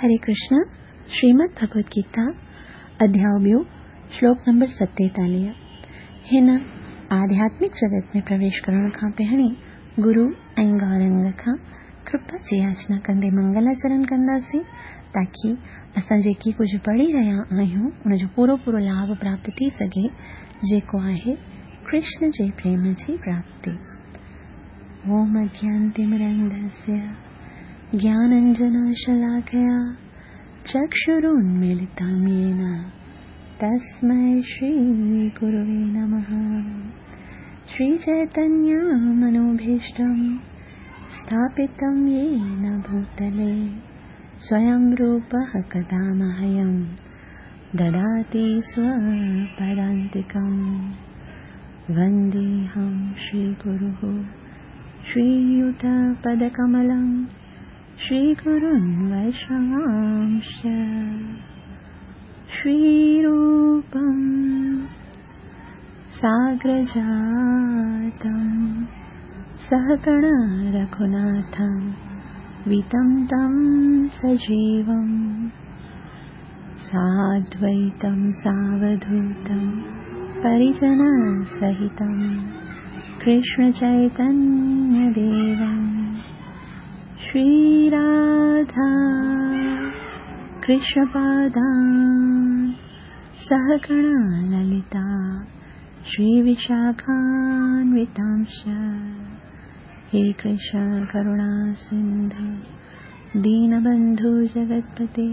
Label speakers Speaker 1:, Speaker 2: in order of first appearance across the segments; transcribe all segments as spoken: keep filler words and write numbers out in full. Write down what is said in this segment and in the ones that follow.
Speaker 1: हरे कृष्ण। श्रीमद् भगवद गीता अध्याय ॿियो श्लोक नंबर सतेतालीह। हिन आध्यात्मिक जगत में प्रवेश करण खां पहिरीं गुरु ऐं गौरंग खां कृपा जी याचना कंदे मंगलाचरण कंदासीं ताकी असां जेकी कुझु पढ़ी रहिया आहियूं उनजो पूरो पूरो लाभ प्राप्त थी सघे, जेको आहे कृष्ण जे प्रेम जी प्राप्ति। ओम अज्ञानतिमिरन्धस्य ज्ञानाञ्जनशलाकया चक्षुरुन्मीलितं येन तस्मै श्रीगुरुवे नमः। श्रीचैतन्यमनोभीष्टं स्थापितं येन भूतले स्वयं रूपः कदा मह्यं ददाति स्वपदान्तिकं। वन्देऽहं श्रीगुरुः श्रीयुतपदकमलं श्रीगुरुन् वैष्णवांश्च। श्रीरूपं साग्रजातं सहगण रघुनाथं वितं तं सजीवं साद्वैतं सावधूतं परिजनसहितं कृष्णचैतन्यदेवं। श्रीराधा कृष्णपादान् सहगण ललिता श्रीविशाखान्वितांश्च। हे कृष्ण करुणा सिन्धु दीनबन्धु जगत्पते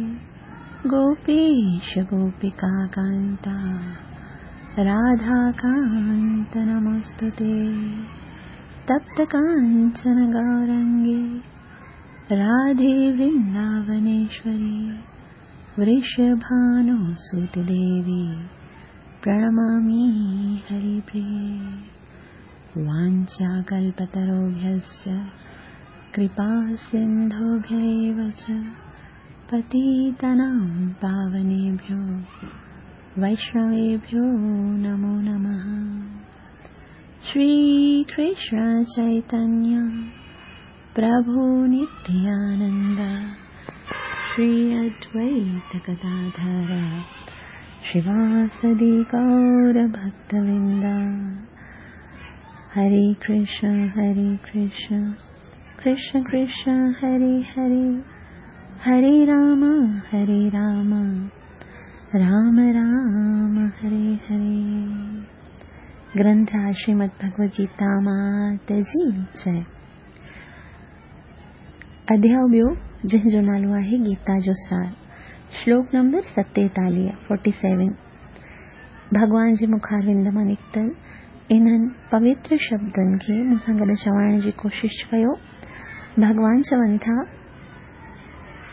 Speaker 1: गोपेश गोपिकाकान्ता राधाकान्त नमोऽस्तु ते। तप्त काञ्चन गौरङ्गे राधे वृन्दावनेश्वरी वृषभानुसुते देवी प्रणमामि हरिप्रिये। वाञ्छाकल्पतरुभ्यश्च कृपासिन्धुभ्य एव च पतितानां पावनेभ्यो वैष्णवेभ्यो नमो नमः। श्रीकृष्ण चैतन्य प्रभु नित्यानंद श्री अद्वैत गदाधर श्रीवासदि गौर भक्तवृंद। हरे कृष्ण हरे कृष्ण कृष्ण कृष्ण हरे हरे, हरे राम हरे राम राम राम हरे हरे। ग्रंथ श्रीमद् भगवद गीता मात जी जय। अध्याय ॿियो जंहिंजो नालो आहे गीता जो सार, श्लोक नंबर सतेतालीह फोर्टी सेवन। भॻवान जे मुखारविंद मां निकितल इन्हनि पवित्र शब्दनि खे मूंसां गॾु चवण जी कोशिशि कयो। भॻवान चवनि था,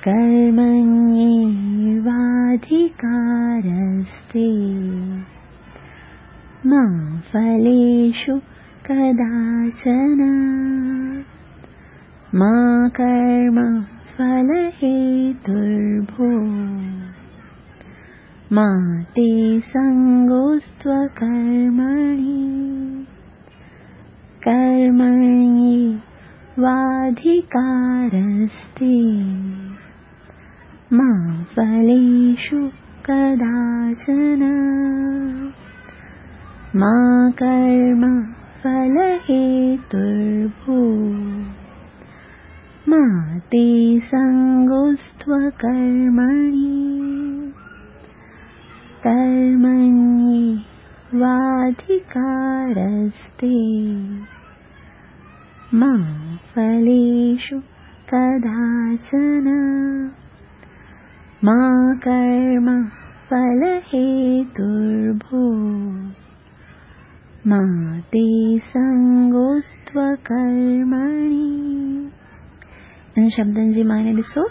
Speaker 1: कर्मण्येवाधिकारस्ते मा फलेषु कदाचन मा कर्म फलहेतुर्भूः मा ते सङ्गोऽस्त्वकर्मणि कर्मण्येवाधिकारस्ते मा फलेषु कदाचन मा कर्म फलहेतुर्भूः मा ते सङ्गोऽस्त्वकर्मणि कर्मण्येवाधिकारस्ते मा फलेषु कदाचन मा कर्म फलहेतुर्भूः मा ते सङ्गोऽस्त्वकर्मणि। इन शब्दनि जी माने ॾिसो,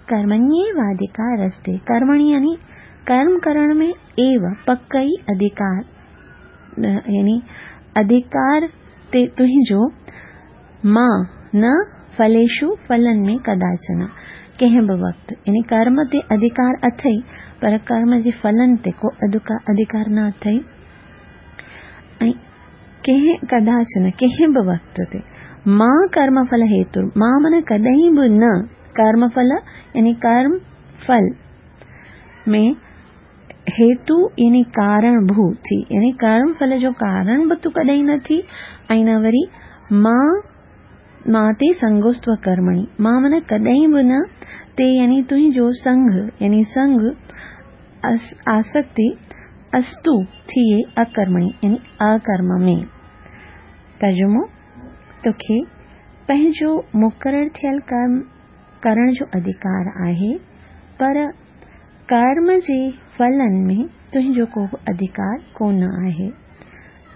Speaker 1: कर्मण्येवाधिकारस्ते, कर्मणि यानी कर्म करण में एव पक ई अधिकार, यानी अधिकार ते तुंहिंजो, मां न फलेषु फलनि में कदाचन कंहिं बि वक़्तु, यानी कर्म ते अधिकार अथई पर कर्म जे फलनि ते को अधिकार न अथई, ऐं कंहिं कदाचन कंहिं बि वक़्तु ते मां कर्मफल हेतु, मां माना कॾहिं बि न, कर्मफल यानी कर्म ڦل ۾ هيتو يعني ڪارڻ ڀو ٿي، يعني ڪرم ڦل جو ڪارڻ به تون ڪڏهن نه ٿي ۽ نه وري مان مان تي سنگوستو ڪرمڻي، مان معنيٰ ڪڏهن به نه، تي يعني تنهنجو سنگ يعني سنگ آسڪتي استو ٿئي اڪرمڻي يعني اڪرم ۾. ترجمو، توکي پنهنجو مقرر ٿيل ڪرم ڪرڻ جو اڌڪار آهي، پر ڪرم جي ڦلن ۾ تنهنجو ڪو به اڌڪار ڪونه آهي.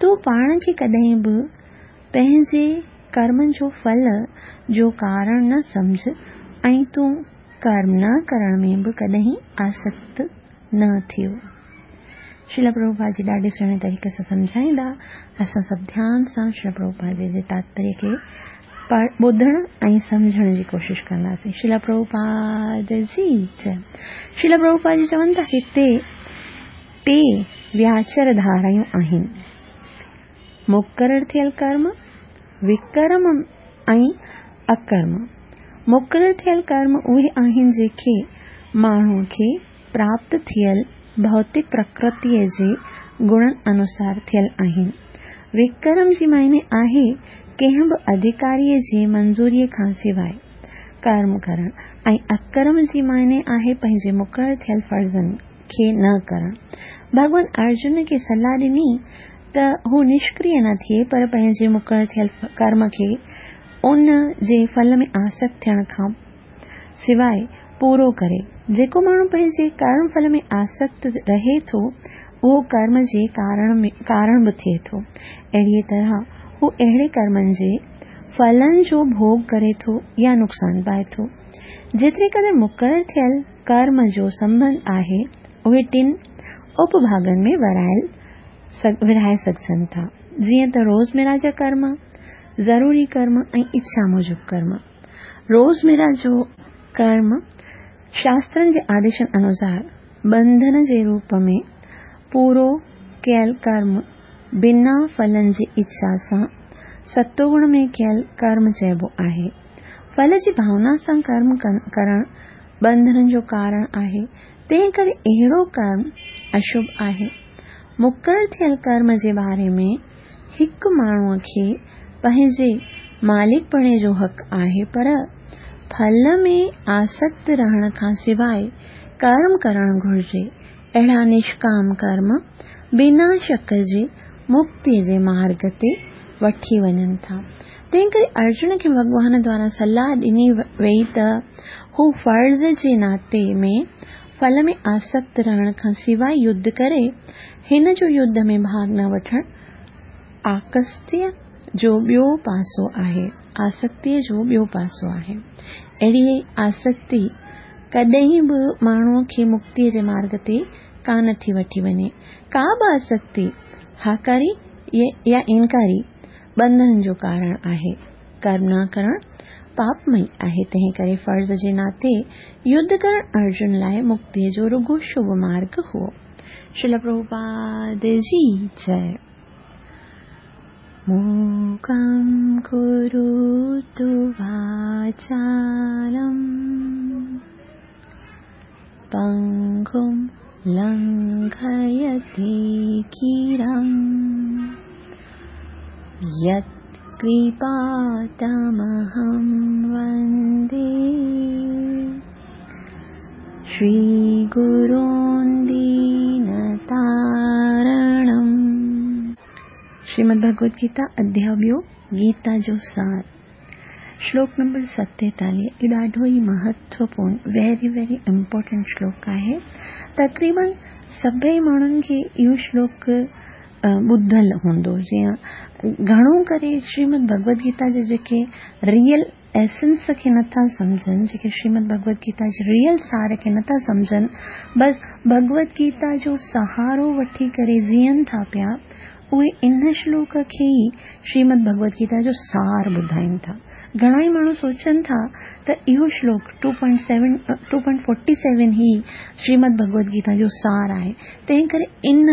Speaker 1: تون پاڻ کي ڪڏهن به پنهنجي ڪرمن جو ڦل جو ڪارڻ نه سمجهه ۽ تون ڪرم نه ڪرڻ ۾ به ڪڏهن آسڪت نه ٿيو. شريل پرڀوپاد جي ڏاڍي سهڻي طريقي سان سمجهائيندا. اسان سڀ ڌيان سان شريل پرڀوپاد جي جي تاتپريه کي ٻڌڻ ۽ سمجهڻ جي ڪوشش ڪنداسين. شريل پرڀوپاد جي جئي. شريل پرڀوپاد جي چون ٿا هتي ٽي وياچر ڌارايون آهن، مقرر ٿيل ڪرم، وڪرم ۽ اڪرم. مقرر ٿيل ڪرم اهي آهن جيڪي ماڻهوءَ کي پراپت ٿيل ڀوتڪ پرڪرتيءَ جي گڻن انوسار ٿيل آهن. وڪرم جي معني آهي ڪنهن به اڌڪاريءَ جي منظوريءَ کان سواءِ ڪرم ڪرڻ ۽ اڪرم جي معني آهي پنهنجي مقرر ٿيل فرضن کي نه ڪرڻ. ڀڳوان ارجن کي صلاح ڏني ته هو نشڪريه نه ٿئي، پر پنهنجي مقرر ٿيل ڪرم کي ان جي ڦل ۾ آسڪت ٿيڻ کان سواءِ پورو ڪري. جيڪو ماڻهو پنهنجي ڪرم ڦل ۾ آسڪت رهي ٿو، اهو ڪرم جي ڪارڻ به ٿئي ٿو. اهڙيءَ طرح هو اهڙي ڪرمن جي ڦلن جو ڀوڳ ڪري ٿو يا نقصان پائي ٿو. جيتري قدر مقرر ٿيل ڪرم جو سنٻنڌ آهي، اهي ٽن اپڀاڳن ۾ ورهايل ورهائي سگهجن ٿا، جيئن ته روزمره جا ڪرم، ضروري ڪرم ۽ اڇا موجب ڪرم. روزمره جو ڪرم شاسترن جي آديشن انوسار ٻنڌن جي روپ ۾ پورو ڪيل ڪرم بنا ڦلن جي اڇا سان ستوگڻ ۾ ڪيل ڪرم چئبو آهي. ڦل جي ڀاونا سان ڪرم ڪرڻ ٻنڌنن جو ڪارڻ آهي، تنهن ڪري اهڙو ڪرم اشڀ آهي. مقرر ٿيل ڪرم جي باري ۾ هڪ ماڻهوءَ کي پنهنجي مالڪپڻي جو حق آهي، پر ڦل ۾ آسڪت رهڻ کان سواءِ ڪرم ڪرڻ گهرجي. اهڙا نشڪام ڪرم بنا شڪ جي مڪتيءَ جي مارگ تي وٺي وڃن ٿا. تنهن ڪري ارجن کي ڀڳوان دوارا صلاح ڏني وئي ته هو فرض جي ناتي ۾ ڦل ۾ آسڪت رهڻ کان سواءِ يڌ ڪري. هن جو يڌ ۾ ڀاڳ نه وٺڻ آسڪتيءَ جو ٻيو پاسو آهي. آسڪتيءَ جو ٻيو پاسو آهي. اهڙي آسڪتي ڪڏهن به ماڻهوءَ کي مڪتيءَ جي مارگ تي ڪانه ٿي وٺي وڃي. ڪا به آسڪتي هاڪاري يا انڪاري ٻنڌن جو ڪارڻ آهي. ڪرم نه ڪرڻ پاپمئي آهي، تنهن ڪري فرض جي ناتي يڌ ڪرڻ ارجن لاءِ مڪتيءَ جو رڳو شڀ مارگ هو. شريل پرڀوپاد جي جئي. मूकं करोतु वाचालं पङ्गुं लङ्घयते गिरिं यत्कृपातमहं वन्दे श्रीगुरून् दीनतारणम्। श्रीमद् भगवद गीता अध्याय ॿियो, गीता जो सार, श्लोक नंबर सतेतालीह। इहो ॾाढो ई महत्वपूर्ण, वेरी वेरी इम्पोर्टेंट श्लोक आहे। तक़रीबन सभई माण्हुनि खे इहो श्लोक ॿुधल हूंदो। जीअं घणो करे श्रीमद भगवद गीता जे जेके रियल एसेंस खे नथा सम्झनि, जेके श्रीमद भगवद गीता जे रियल सार खे नथा सम्झनि, बसि भगवद गीता जो सहारो वठी करे जीअनि था पिया, उहे इन श्लोक खे ई श्रीमद भगवद गीता जो सार ॿुधाइनि था। घणा ई माण्हू सोचनि था त इहो श्लोक two point seven two point forty seven ई श्रीमद भगवद गीता जो सार आहे। तंहिं करे इन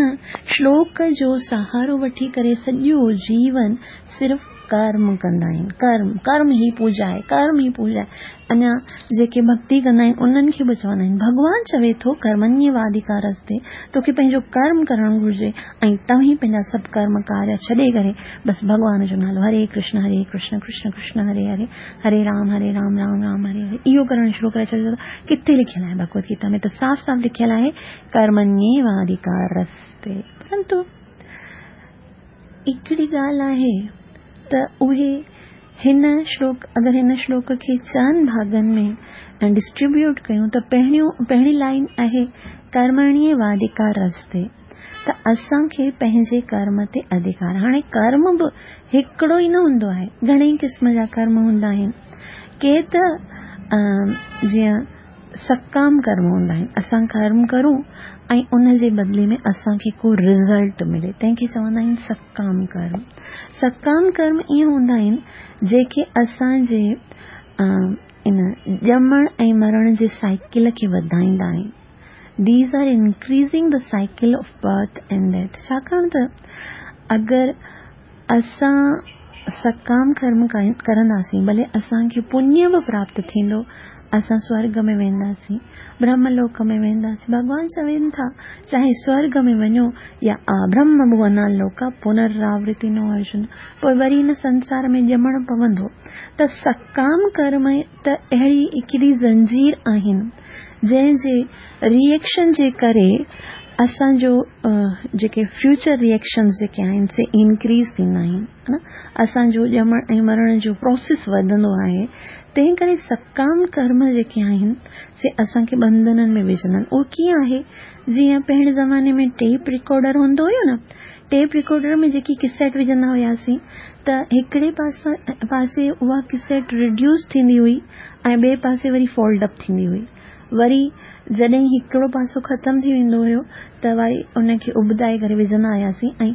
Speaker 1: श्लोक जो सहारो वठी करे सॼो जीवन सिर्फ़ ڪرم ڪندا آهن. ڪرم، ڪرم ئي پوڄا آهي، ڪرم ئي پوڄا آهي. اڃا جيڪي ڀڳتي ڪندا آهن انهن کي به چوندا آهن. ڀڳوان چوي ٿو ڪرمڻييواڌڪارستي، توکي پنهنجو ڪرم ڪرڻ گهرجي ۽ توهين پنهنجا سڀ ڪرم ڪاريه ڇڏي ڪري بس ڀڳوان جو نالو هري ڪرشن هري ڪرشن ڪرشن ڪرشن هري هري هري رام هري رام رام رام هري هري اهو ڪرڻ شروع ڪري ڇڏيو. ڪٿي لکيل آهي؟ ڀڳوت گيتا ۾ ته صاف صاف لکيل آهي ڪرمڻييواڌڪارستي. پرنتو هڪڙي ڳالهه آهي ته اهي هن شلوڪ اگر هن شلوڪ کي چئن ڀاڳن ۾ ڊسٽريبيوٽ ڪيون ته پهريون پهرين لائن آهي ڪرمڻييواڌڪارستي، ته اسان کي پنهنجي ڪرم تي اڌڪار. هاڻي ڪرم به هڪڙو ئي نه هوندو آهي، گهڻئي قسم جا ڪرم هوندا آهن. ڪي ته جيئن سڪام ڪرم هوندا آهن، اسان ڪرم ڪرون ۽ ان جي بدلي ۾ اسان کي ڪو رزلٽ ملي، تنهن کي چوندا آهن سڪام ڪرم. سڪام ڪرم ائين هوندا آهن جيڪي اسان جي ان ڄمڻ ۽ مرڻ جي سائيڪل کي وڌائيندا آهن. These are increasing the cycle of birth and death. ڇاڪاڻ ته اگر اسان سڪام ڪرم ڪرنداسين ڀلي اسان کي پڃ به پراپت ٿيندو، اسان سورڳ ۾ وينداسين، برهم لوڪ ۾ وينداسين. ڀڳوان چون ٿا چاهي سورڳ ۾ وڃو يا برهم ڀونا لوڪا پنراورتي نو ارجن، پوءِ وري هن سنسار ۾ ڄمڻ پوندو. ته سڪام ڪرم ته اهڙي هڪڙي زنجير آهن جنهن جي ريئيڪشن جي ڪري اسان جو جيڪي فيوچر ريئيڪشنز جيڪي آهن سي انڪريز ٿيندا آهن، نه اسان جو ڄمڻ ۽ مرڻ جو پروسيس وڌندو آهي. تنهن ڪري سڪام ڪرم جيڪي آهن سي اسان کي ٻنڌنن ۾ وجهندا آهن. اهو ڪيئن آهي؟ جيئن پهرين زماني ۾ ٽيپ رڪارڊر هوندو هيو نه، ٽيپ رڪارڊر ۾ جيڪي ڪسيٽ وجهندا هئاسين ته هڪڙي پاسي اها ڪسيٽ ريڊيوس ٿيندي هئي ۽ ٻئي پاسي وري فولڊ اپ ٿيندي هئي. وري جڏهن هڪڙو پاسو ختم ٿي ويندو هيو ته وري ان کي اٻدائي ڪري وجهندا هئاسين ۽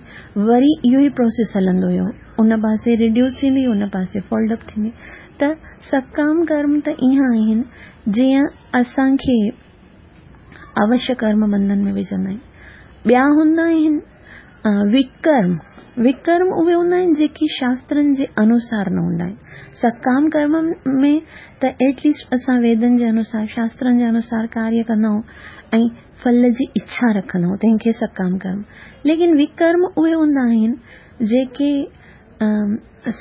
Speaker 1: وري اهو ئي پروسيس هلندو هيو، ان پاسي ريڊيوس ٿيندي ان پاسي فولڊ اپ ٿيندي. ته سڪام ڪرم ته ائين آهن جيئن اسان کي اوشيه ڪرم بنڌن ۾ وجهندا آهن. ٻيا هوندا آهن وڪرم. وڪرم اهي هوندا آهن جيڪي شاسترن جي انوسار نه هوندا آهن. سڪام ڪرم ۾ ته ايٽليسٽ اسان ويدن جي انوسار شاسترن جي انوسار ڪاريه ڪندا آهيون ۽ ڦل جي اڇا رکندا آهيون، تنهن کي سڪام ڪرم. ليڪن وڪرم اهي هوندا آهن جيڪي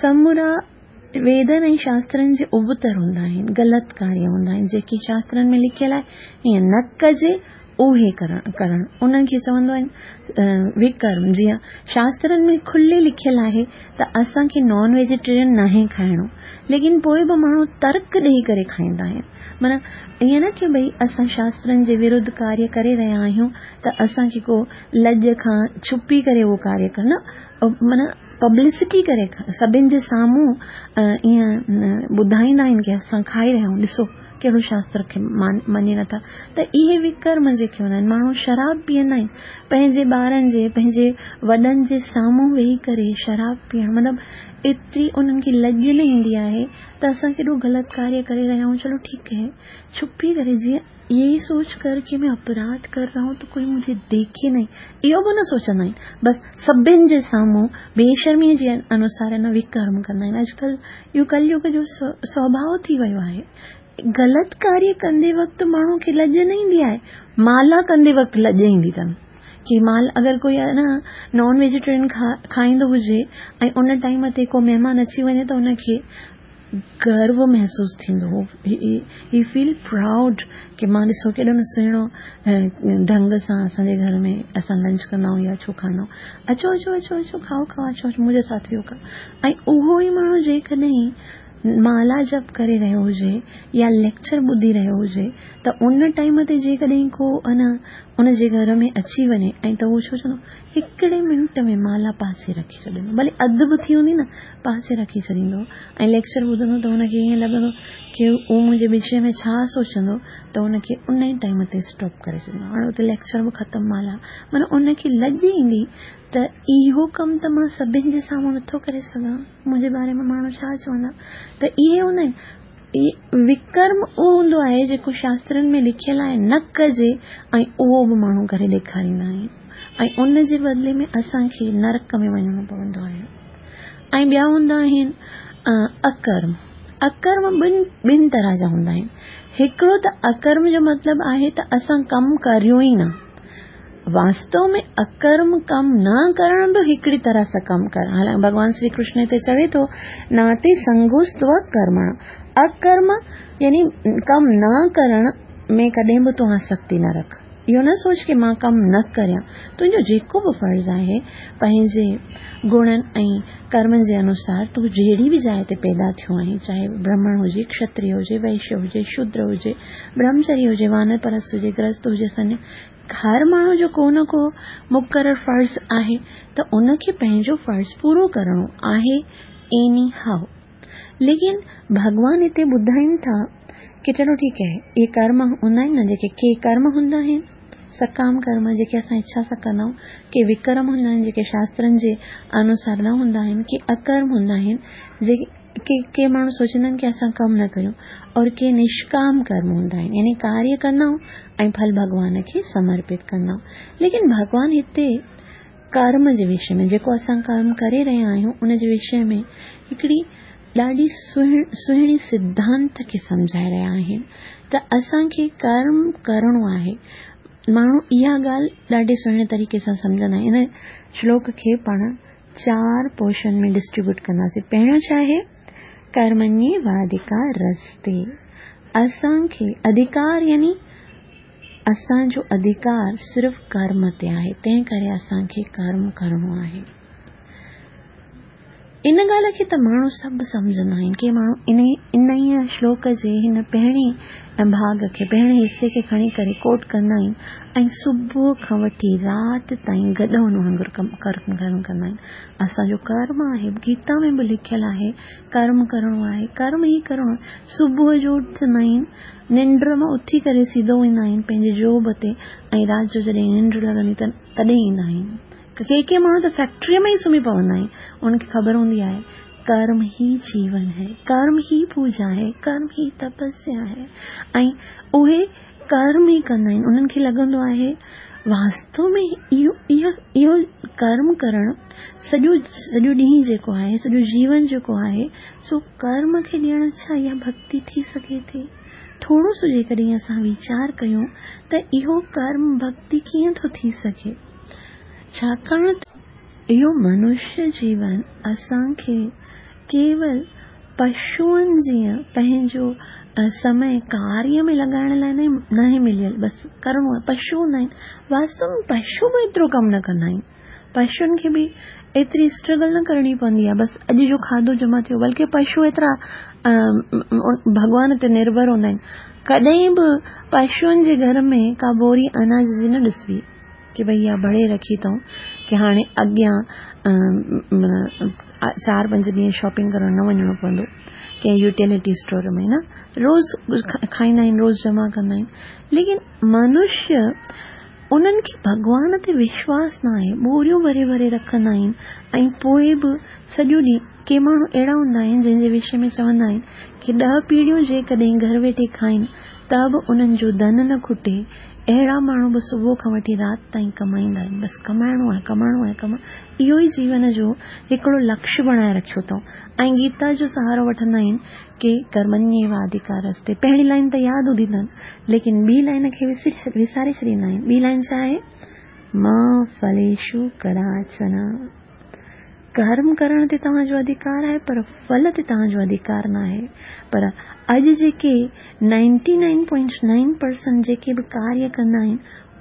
Speaker 1: سمورا ويدن ۽ شاسترن جي ابتر هوندا آهن، غلط ڪاريه هوندا آهن، جيڪي شاسترن ۾ لکيل آهي ائين نه ڪجي اهي ڪرڻ ڪرڻ انهن کي چوندو آهن وڪرم. جيئن شاسترن ۾ کلي لکيل آهي ته اسان کي نان ويجيٽيرين ناهي کائڻو، ليڪن پوءِ به ماڻهو ترڪ ڏيئي ڪري کائيندا آهن. معنيٰ ائين نه ڪه ڀئي اسان شاسترن جي ورڌ ڪاريه ڪري رهيا آهيون ته اسان کي ڪو لڄ کان ڇپي ڪري اهو ڪاريه ڪرڻ، معنيٰ پبلسٽي ڪري سڀني جي سامهون ائين ٻڌائيندا آهن ڪه اسان کائي رهيا آهيون، ڏسو ڪهڙو شاستر کي مڃي نٿا. ته اهي وڪرم جيڪي هوندا آهن، ماڻهو شراب پيئندا آهن پنهنجي ٻارن جي پنهنجي وڏن جي سامهون ويهي ڪري شراب پيئڻ، مطلب ايتري انهن کي لڄ نه ايندي آهي ته اسان ڪيڏو غلط ڪاريه ڪري رهيا آهيون. چلو ٺيڪ آهي ڇپي ڪري، جيئن يهي سوچ ڪر ڪه مين اپراڌ ڪر رها هون ته ڪوئي مجهي ديکي نهين، اهو به نه سوچندا آهن، بس سڀني جي سامهون بيشرميءَ جي انوسار نه وڪرم ڪندا آهن. اڄڪلهه اهو ڪليگ جو سوڀاو ٿي ويو آهي. غلط ڪاريه ڪندي وقت ماڻهو کي لڄ نه ايندي آهي، مالا ڪندي وقت لڄ ايندي اٿن ڪه مال اگر ڪوئي آهي نه نان ويجيٽيرين کائيندو هجي ۽ ان ٽائيم تي ڪو مهمان اچي وڃي ته ان کي گرو محسوس ٿيندو هو، هي فيل پرائوڊ ڪه مان ڏسو ڪيڏو نه سهڻو ڍنگ سان اسان جي گهر ۾ اسان لنچ ڪندا آهيون يا ڇو کائيندا آهيون، اچو اچو اچو اچو کائو کائو اچو اچو منهنجي ساٿ اهو کائو. ۽ اهو ئي ماڻهو جيڪڏهن مالا جپ ڪري رهيو هجي يا ليڪچر ٻڌي رهيو هجي ته ان ٽائيم تي جيڪڏهن ڪو ان ان جي گهر ۾ اچي وڃي ۽ ته اهو ڇو چوندو، هڪڙي منٽ ۾ مالا پاسي رکي ڇڏيندو، ڀلي اڌ به ٿي هوندي نه پاسي رکي ڇڏيندو ۽ ليڪچر ٻڌندو ته هن کي ائين لڳندو ڪه اهو منهنجي وشي ۾ ڇا سوچندو، ته هن کي ان ئي ٽائيم تي اسٽاپ ڪري ڇڏيندو. هاڻي اتي ليڪچر به ختم، مالا معنيٰ ان کي لڄ ايندي ته اهو ڪم ته مان سڀني جي سامهون نٿو ڪري سگهان، منهنجي باري ۾ ماڻهو ڇا چوندا. ته اهي هوندا آهن. وڪرم اهو هوندو آهي جيڪو شاسترن ۾ لکيل آهي نه ڪجي ۽ اهو به ماڻهو ڪري ڏيکاريندا آهن ۽ ان جي بدلي ۾ اسان کي نرڪ ۾ وڃڻو پوندو آهي. ۽ ٻيا هوندا آهن اڪرم. اڪرم ٻن ٻن طرح جا هوندا آهن. هڪڙو ته اڪرم جو مطلب آهي ته اسان ڪم ڪريون ئي نه. واستو ۾ اڪرم ڪم نه ڪرڻ به هڪڙي طرح سان ڪم ڪرڻ. حالانڪه ڀڳوان شري ڪرشن هتي چوي ٿو ناتي سنگوستو ڪرمڻ. اڪرم يعني ڪم نه ڪرڻ ۾ ڪڏهن به تون آسڪتي نه رک. اهو نه سوچ ڪه مان ڪم نه ڪريان. تنهنجو جيڪو به فرض آهي پنهنجي گڻن ۽ ڪرمن جي انوسار تون جهڙي به جاءِ تي پيدا ٿيو آهين، چاهي برهمڻ هجي، کشتريه هجي، وئشيه هجي، شودر هجي، برهمچري هجي، وانپرست هجي، گرهست هجي، سنياسي، هر ماڻهو جو ڪو نه ڪو مقرر فرض آهي ته ان کي پنهنجو فرض پورو ڪرڻو آهي. ايني هائو. ليڪن ڀڳوان هتي ٻڌائين ٿا ڪه چلو ٺيڪ آهي، اهي ڪرم هوندا آهن نه جيڪي ڪي ڪرم هوندا آهن سڪام ڪرم جيڪي اسان اڇا سان ڪندا آهيون، ڪي وڪرم هوندا آهن جيڪي شاسترن جي انوسار نه هوندا آهن، ڪي اڪرم هوندا آهن جيڪي ڪي ڪي ماڻهو سوچيندا آهن ڪه اسان ڪم نه ڪريون، اور ڪي نشڪام ڪرم هوندا آهن يعني ڪاريه ڪندا آهيون ۽ ڦل ڀڳوان کي سمرپت ڪندا آهيون. ليڪن ڀڳوان هتي ڪرم جي وشي ۾ جيڪو اسان ڪرم ڪري رهيا آهيون ان جي وشي ۾ هڪڙي ڏاڍي سهڻي سڌانت کي سمجهائي رهيا آهن ته اسان کي ڪرم ڪرڻو آهي. ماڻهو اها ڳالهه ڏاڍي سهڻي طريقي سان سمجهندا آهن. ان شلوڪ کي پاڻ چار پورشن ۾ ڊسٽريبيوٽ ڪنداسين. پهريون ڇا آهي؟ ڪرمڻييواڌڪارستي. اسان کي اڌڪار يعني اسان جو اڌڪار صرف ڪرم تي آهي، تنهن ڪري اسان کي ڪرم ڪرڻو آهي. ان ڳالهه کي ته ماڻهو سڀ سمجهندا آهن. ڪي ماڻهو ان شلوڪ جي هن پهرين ڀاڳ کي، پهرين حصي کي کڻي ڪري ڪوٽ ڪندا آهن ۽ صبح کان وٺي رات تائين گڏهن وانگر ڪم ڪرم ڪندا آهن. اسان جو ڪرم آهي، گيتا ۾ به لکيل آهي ڪرم ڪرڻو آهي، ڪرم ئي ڪرڻو آهي. صبح جو اٿندا آهن، ننڊ مان اٿي ڪري سڌو ويندا آهن پنهنجي جاب تي ۽ رات جو جڏهن ننڊ لڳندي ته تڏهن ايندا آهن. ڪي ڪي ماڻهو ته فيڪٽريء ۾ ئي سمهي پوندا آهن. انهن کي خبر هوندي آهي ڪرم ئي جيون هي، ڪرم ئي پوڄا آهي، ڪرم ئي تپسيا آهي ۽ اهي ڪرم ئي ڪندا آهن. انهن کي لڳندو آهي واستو ۾ اهو اهو اهو ڪرم ڪرڻ سڄو سڄو ڏينهن جيڪو آهي، سڄو جيون جيڪو آهي سو ڪرم کي ڏيڻ ڇا اها ڀڳتي ٿي سگهي ٿي؟ ٿورو سو جيڪڏهن اسان ويچار ڪيون ته اهو ڪرم ڀڳتي ڪيئن ٿو ٿي سگهي؟ ڇاڪاڻ ته اهو منشيه جيون اسان کي ڪيول پشوئن جيئن پنهنجو سمي ڪاريه ۾ لڳائڻ لاءِ ناهي مليل، بس ڪرڻو آهي. پشو هوندا آهن، واستو ۾ پشو به ايترو ڪم نه ڪندا آهن. پشوئن کي به ايتري اسٽرگل نه ڪرڻي پوندي آهي، بس اڄ جو کاڌو جمع ٿيو. بلڪه پشو ايترا ڀڳوان تي نرڀر هوندا آهن. ڪڏهن به پشوئن جي گهر ۾ ڪا ٻوري اناج جي نه ڏسبي ڪه ڀئي اها ڀري رکي اٿئون ڪه هاڻي اڳيان چار پنج ڏينهن شاپنگ ڪرڻ نه وڃڻو پوندو ڪنهن يوٽيلٽي اسٽور ۾ نه. روز کائيندا آهن، روز جمع ڪندا آهن. ليڪن منشيه انهن کي ڀڳوان تي وشواس نه آهي، ٻوريون ڀري ڀري رکندا آهن ۽ پوءِ به سڄو ڏينهن. ڪي ماڻهو اهڙا هوندا آهن جنهن جي وشي ۾ چوندا آهن ڪه ڏهه پيڙهيون جيڪڏهن گهر ويٺي کائين ته به انهن جو ڌن نه کٽي. اهڙا ماڻهو به صبح کان وٺي رات تائين ڪمائيندا آهن، بس ڪمائڻو آهي، ڪمائڻو آهي، ڪمائڻو. اهو ئي جيون جو هڪڙو لڪشيه بڻائي رکيو اٿئون ۽ گيتا جو سهارو وٺندا آهن ڪه ڪرمڻييواڌڪارستي. پهرين لائن ته ياد هوندي اٿن، ليڪن ٻي لائن کي وساري ڇڏيندا آهن. ٻي لائن ڇا آهي؟ ما ڦليشو ڪداچن. ڪرم ڪرڻ تي توهان جو اڌڪار آهي پر ڦل تي توهان جو اڌڪار نه آهي. پر اڄ جيڪي ninety nine point nine percent جيڪي به ڪاريه ڪندا آهن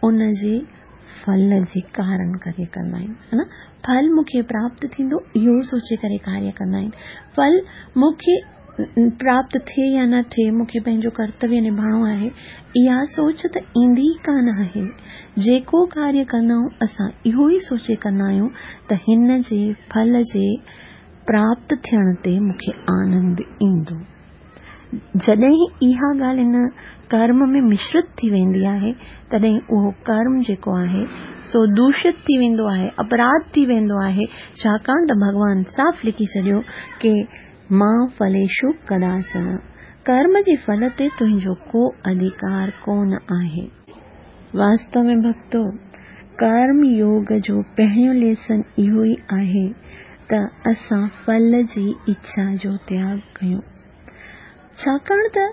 Speaker 1: ان جي ڦل جي ڪارڻ ڪري ڪندا آهن، ها نه؟ ڦل مون کي پراپت ٿيندو اهو سوچي ڪري ڪاريه ڪندا آهن. ڦل مون کي پراپت ٿئي يا نه ٿئي مون کي پنهنجو ڪرتويه نڀائڻو آهي، اها سوچ ته ايندي ئي ڪانه آهي. جيڪو ڪاريه ڪندا آهيون اسان اهو ئي سوچي ڪندا آهيون ته هن جي ڦل جي پراپت ٿيڻ تي مون کي آنند ايندو. جڏهن اها ڳالهه هن ڪرم ۾ مشرت ٿي ويندي آهي تڏهن اهو ڪرم جيڪو آهي سو دوشت ٿي ويندو آهي، اپراڌ ٿي ويندو آهي. ڇاڪاڻ ته ڀڳوان صاف لکي ڇڏيو ڪه ما ڦليشو ڪداچن، ڪرم جي ڦل تي تنهنجو ڪو اڌڪار ڪونه آهي. واستو ۾ ڀڳتو، ڪرم يوگ جو پهريون ليسن اهو ئي آهي ته اسان ڦل جي اڇا جو تياڳ ڪيون. ڇاڪاڻ ته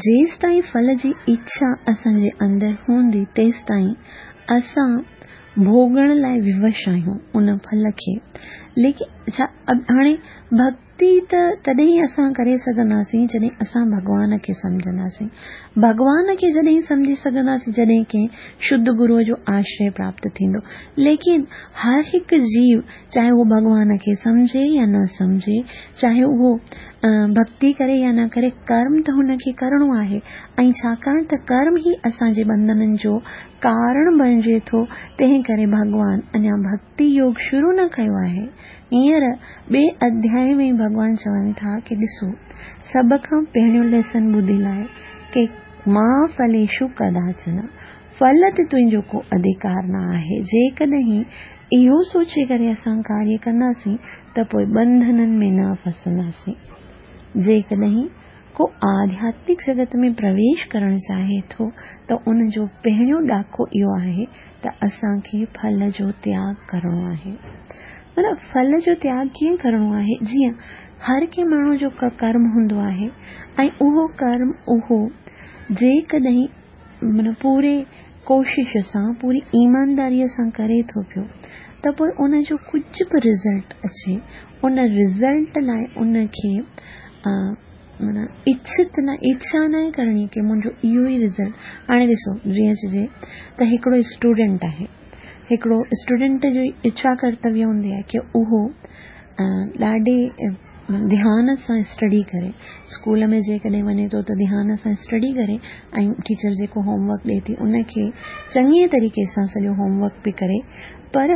Speaker 1: جيستائين ڦل جي اڇا اسان جي اندر هوندي تيستائين اسان ڀوڳڻ لاءِ ووش آهيون ان ڦل کي. ليڪن ڇا هاڻي ڀڪتي ته تڏهن ئي اسان ڪري سگهنداسين جڏهن اسان ڀڳوان کي سمجهنداسين. ڀڳوان کي جڏهن سمجهي سگهنداسين جڏهن ڪنهن شڌ گروءَ جو آشري پراپت ٿيندو. ليڪن هر هڪ جيو چاهي اهو ڀڳوان کي سمجهي يا نه سمجهي، چاهي اهو ڀڪتي ڪري يا نه ڪري، ڪرم ته هن کي ڪرڻو آهي. ۽ ڇاڪاڻ ته ڪرم ئي اسان جي ٻنڌنن جو ڪارڻ بڻجي ٿو، تنهن ڪري ڀڳوان اڃا ڀڪتي يوگ شروع نه ڪيو آهي. هينئر ٻئي اڌياءِ ۾ ڀڳوان چون ٿا ڪه ڏسو، سڀ کان پهريون ليسن ٻڌي لاءِ ڪه مان ڦليشو ڪداچن، ڦل تي تنهنجو ڪو اڌڪار نه آهي. جيڪڏهن اهو سوچي ڪري اسان ڪاريه ڪنداسين ته پوءِ ٻنڌنن ۾ نه ڦسنداسين. جيڪڏهن ڪو آڌياتمڪ جڳت ۾ پرويش ڪرڻ چاهي ٿو ته ان جو پهريون ڏاڪو اهو آهي ته اسان کي ڦل جو تياڳ ڪرڻو آهي. معنيٰ ڦل جو تياڳ ڪيئن ڪرڻو آهي؟ جيئن هر ڪنهن ماڻهوءَ جو ڪرم هوندو آهي ۽ اهو ڪرم اهو جيڪڏهن معنيٰ پوري ڪوشش سان، پوري ايمانداريءَ سان ڪري ٿو پيو ته پوءِ ان جو ڪجهه به رزلٽ اچي، ان رزلٽ لاءِ ان کي معنيٰ اڇت نه اڇا نه آهي ڪرڻي ڪه منهنجو اهو ئي رزلٽ. هاڻي ڏسو، جيئن چئجي ته هڪڙو اسٽوڊنٽ آهي، هڪڙو اسٽوڊنٽ جو اڇا ڪرتويه هوندي آهي ڪه اهو ڏاڍي ڌيان سان اسٽڊي ڪري. اسڪول ۾ جيڪڏهن وڃي ٿو ته ڌيان سان اسٽڊي ڪري ۽ ٽيچر جيڪو هوم ورڪ ڏئي ٿي ان کي چڱي طريقي سان سڄو هوم ورڪ به ڪري. پر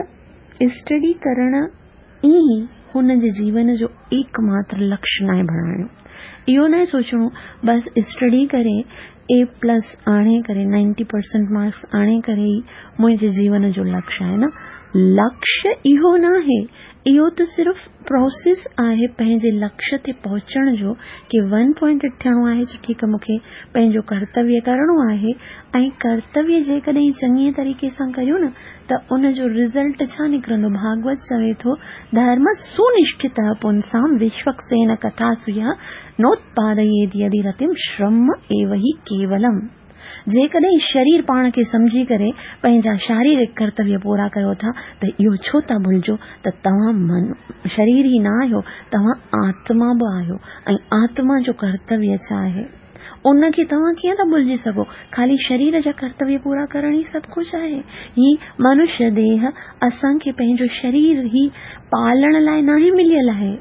Speaker 1: اسٽڊي ڪرڻ ئي هن جي جيون جو ايڪماتر لڪشيه ناهي بڻائڻو. اهو ناهي سوچڻو بس اسٽڊي ڪري اي پلس آڻي ڪري نائنٽي پرسينٽ مارڪس آڻي ڪري ئي منهنجي جيون جو لڪشيه آهي. نه، لڪشيه اهو ناهي، اهو ته صرف پروسيس آهي پنهنجي لڪشيه تي پهچڻ جو ڪه ون پوائنٽيڊ ٿيڻو آهي ته ٺيڪ آهي مون کي پنهنجو ڪرتويه ڪرڻو آهي. ۽ ڪرتويه جيڪڏهن چڱي طريقي سان ڪريون نه ته ان جو رزلٽ ڇا نڪرندو؟ ڀاڳوت چوي ٿو، ڌرم سنشٺت پنسام وشوڪسين ڪٿاسو يا نوتپاديت يدي رتم شرم ايو هي ڪيولم. جيڪڏهن شرير پاڻ کي سمجهي ڪري پنهنجا شاريرڪ ڪرتويه پورا ڪيو ٿا ته اهو ڇو ٿا ڀلجو ته توهان من شرير ئي نه آهيو، توهان آتما به آهيو. ۽ آتما جو ڪرتويه ڇا آهي ان کي توهان ڪيئن ٿا ڀلجي سگهو؟ خالي شرير جا ڪرتويه پورا ڪرڻ ئي سڀ ڪجهه آهي؟ هي منشيه ديهه اسان کي پنهنجو شرير ئي پالڻ لاءِ ناهي مليل آهي.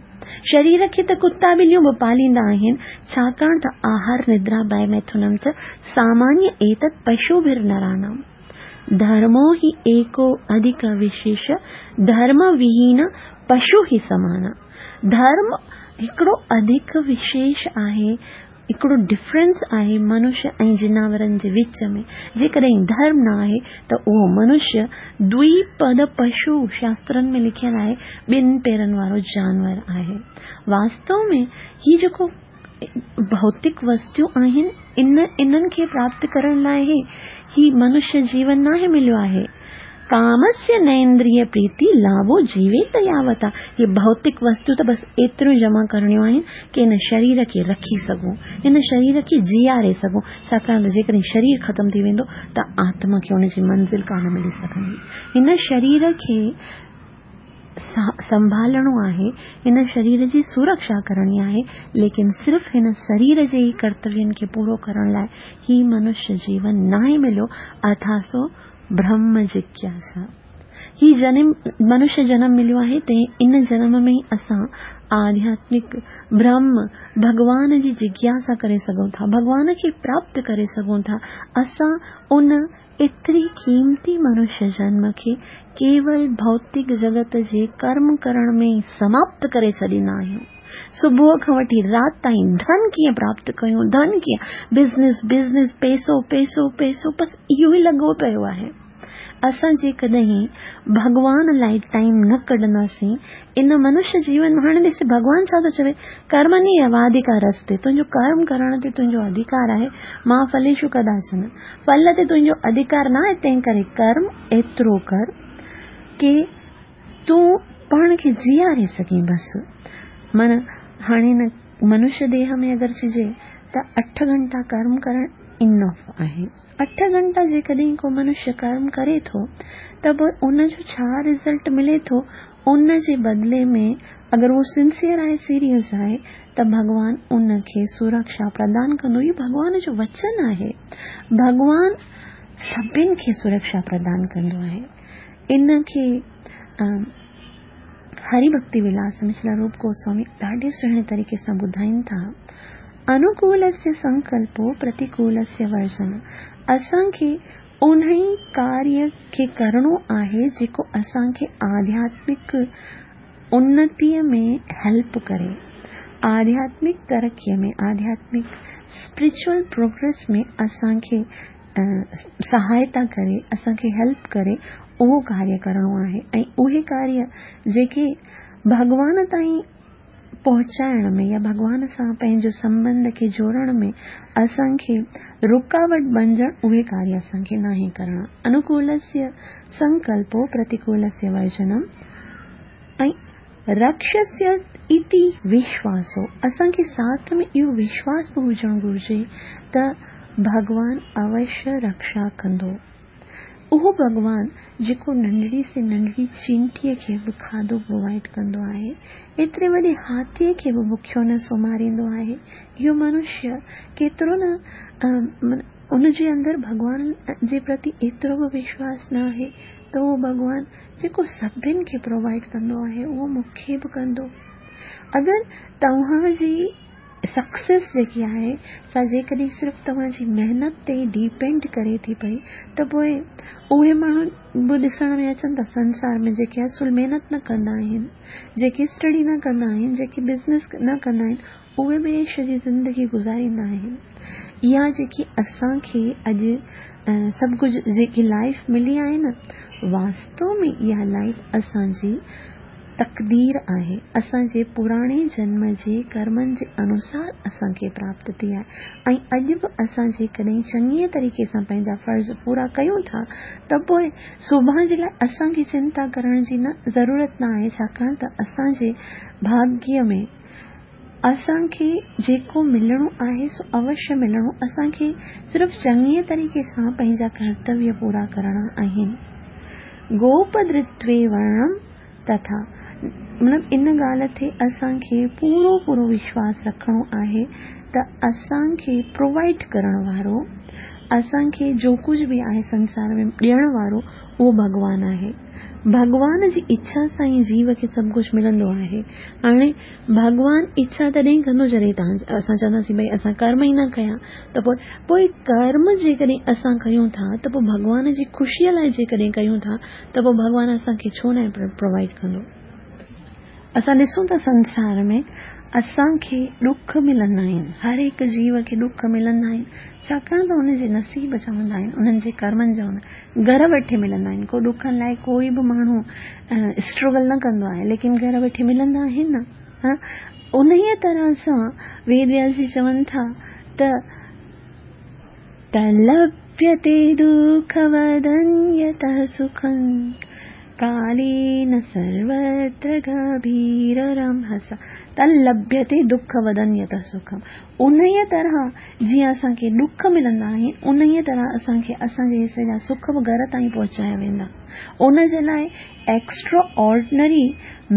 Speaker 1: شرير کي ته ڪتا ٻليون به پاليندا آهن، ڇاڪاڻ ته آهار ندرا ڀي ميٿنم ته سامانيه ايتت پشوڀر نرانام. ڌرمو هي ايڪو اڌڪ وشيش، ڌرم وهين پشو هي سمان. ڌرم هڪڙو اڌڪ وشيش آهي، هڪڙو ڊفرنس آهي منشيه ۽ جناورن جي وچ ۾. جيڪڏهن ڌرم نه آهي ته اهو منشيه دوئپد پشو، شاسترن ۾ لکيل آهي، ٻن پيرن وارو جانور آهي. واستو ۾ هي جيڪو ڀوتڪ وستيون آهن ان انهن کي پراپت ڪرڻ لاءِ هي منشيه جيون ناهي مليو آهي. ڪامسيه نيندريه پريتي لاڀو جيويت ياوتا. هي ڀوتڪ وستو ته بس ايتريون جمع ڪرڻيون آهن ڪه هن شرير کي رکي سگهون، هن شرير کي جياري سگهون. ڇاڪاڻ ته جيڪڏهن شرير ختم ٿي ويندو ته آتما کي ان جي منزل ڪانه ملي سگهندي. هن شرير کي سنڀالڻو آهي، هن شرير جي سرڪشا ڪرڻي آهي، ليڪن صرف هن شرير جي ئي ڪرتوين کي پورو ڪرڻ لاءِ هي منشيه جيون ناهي مليو. اٿاسو برهم جگياسا. هي جنم منشيه جنم مليو آهي تنهن ان جنم ۾ ئي اسان آڌياتمڪ برهم ڀڳوان جي جگياسا ڪري سگهون ٿا، ڀڳوان کي پراپت ڪري سگهون ٿا. اسان ان ايتري قيمتي منشيه جنم کي ڪيول ڀوتڪ جڳت جي ڪرم ڪرڻ ۾ ئي سماپت ڪري ڇڏيندا آهيون. صبح کان وٺي رات تائين ڌن ڪيئن پراپت ڪيون، ڌن ڪيئن، بزنس بزنس، پئسو پئسو پئسو، بس اهو ئي لڳو پيو آهي. اسان جيڪڏهن ڀڳوان لاءِ ٽائيم نه ڪڍنداسين ان منشيه جيون ۾، هاڻي ڏس ڀڳوان ڇا ٿو چوي، ڪرمني ايواڌڪارستي، تنهنجو ڪرم ڪرڻ تي تنهنجو اڌڪار آهي، مان ڦليشو ڪداچن، ڦل تي تنهنجو اڌڪار نه آهي، تنهن ڪري ڪرم ايترو ڪر ڪه تون पाण खे जीआरे सघे बसि। माना हाणे न मनुष्य देह में अगरि चइजे त अठ घंटा कर्म करणु इनफ आहे। अठ घंटा जेकॾहिं को मनुष्य कर्म करे थो त पोइ उनजो छा रिज़ल्ट मिले थो, उन जे बदिले में अगरि उहो सिंसियर आहे, सीरियस आहे त भॻवान उनखे सुरक्षा प्रदान कंदो। इहो भॻवान जो वचन आहे। भॻवान सभिनि खे सुरक्षा प्रदान कंदो आहे। इनखे हरि भक्ति विलास में श्री रूप गोस्वामी ॾाढे सुहिणे तरीक़े सां ॿुधाइनि था, अनुकूलस्य संकल्पो प्रतिकूलस्य वर्जन। असांखे उन ई कार्य खे करिणो आहे जेको असांखे आध्यात्मिक उन्नतीअ में हेल्प करे, आध्यात्मिक तरक़ीअ में, आध्यात्मिक स्पिरिचुअल प्रोग्रेस में असांखे सहायता करे, असांखे हेल्प करे, उहो कार्य करिणो आहे। ऐं उहे कार्य जेके भॻवान ताईं पहुचाइण में या भॻवान सां पंहिंजो संबंध खे जोड़ण में असांखे रुकावट बणिजण, उहे कार्य असांखे नाहे करणा। अनुकूलस्य संकल्पो प्रतिकूलस्य वर्जनम ऐं रक्षस्य इति विश्वासो। असांखे साथ में इहो विश्वास बि हुजणु घुरिजे त भॻवान अवश्य रक्षा कंदो। उहो भॻवान जेको नंढड़ी से नंढड़ी चींटीअ खे बि खाधो प्रोवाइड कंदो आहे, एतिरे वॾे हाथीअ खे बि बुखियो न सुम्हारींदो आहे, इहो मनुष्य केतिरो न उनजे अंदरि भॻवान जे प्रति एतिरो बि विश्वास न आहे त उहो भॻवान जेको सभिनि खे प्रोवाइड कंदो आहे उहो मूंखे बि कंदो। अगरि तव्हांजी सक्सेस जेकी आहे सा जेकॾहिं सिर्फ़ु तव्हांजी महिनत ते डिपेंड करे थी पई त पोइ उहे माण्हू बि ॾिसण में अचनि था संसार में जेके असुल महिनत न कंदा आहिनि, जेके स्टडी न कंदा आहिनि, जेके बिज़नेस न कंदा आहिनि, उहे बि ऐश जी ज़िंदगी गुज़ारींदा आहिनि। इहा जेकी असांखे अॼु सभु कुझु जेकी लाइफ मिली आहे न, वास्तव में इहा लाइफ असांजी तक़दीर आहे, असांजे पुराणे जन्म जे कर्मनि जे अनुसार असांखे प्राप्त थी आहे। ऐं अॼु बि असां जेकॾहिं चङीअ तरीक़े सां पंहिंजा फ़र्ज़ पूरा कयूं था त पोइ सुभाणे जे लाइ असांखे चिंता करण जी न ज़रूरत न आहे, छाकाणि त असांजे भाग्य में असांखे जेको मिलणो आहे सो अवश्य मिलणो। असांखे सिर्फ़ु चङीअ तरीक़े सां पंहिंजा कर्तव्य पूरा करणा आहिनि। गोपदृत्वे वर्णम तथा, मतिलबु इन ॻाल्हि ते असांखे पूरो पूरो विश्वास रखणो आहे त असांखे प्रोवाइड करण वारो, असांखे जो कुझु बि आहे संसार में ॾियण वारो उहो भॻवान आहे। भॻवान जी इच्छा सां ई जीव खे सभु कुझु मिलंदो आहे। हाणे भॻवान इच्छा तॾहिं कंदो जॾहिं तव्हां असां चवंदासीं भई असां कर्म ई न कयां त पोइ पोइ कर्म जेकॾहिं असां कयूं था त पोइ भॻवान जी ख़ुशीअ लाइ जेकॾहिं कयूं था त पोइ भॻवान असांखे छो न प्रोवाइड कंदो। असां ॾिसूं था संसार में असांखे ॾुख मिलंदा आहिनि, हर हिकु जीव खे ॾुख मिलंदा आहिनि, छाकाणि त हुनजे नसीब जा हूंदा आहिनि, उन्हनि जे कर्मनि जा हूंदा आहिनि, घर वेठे मिलंदा आहिनि। को ॾुखनि लाइ कोई बि माण्हू स्ट्रगल न कंदो आहे, लेकिन घर वेठे मिलंदा आहिनि न। हा, उन ई तरह सां वेद व्यास जी चवनि था त तलभ्यते दुःखवदन्यतः सुखं कालेन सर्वत्र गभीररंहसा। तल्लभ्यते दुःखवदन्यतः सुखम। उन ई तरह जीअं असांखे ॾुख मिलंदा आहिनि, उन ई तरह असांखे असांजे हिसे जा सुख बि घर ताईं पहुचाया वेंदा। उन जे लाइ एक्स्ट्रा ऑर्डिनरी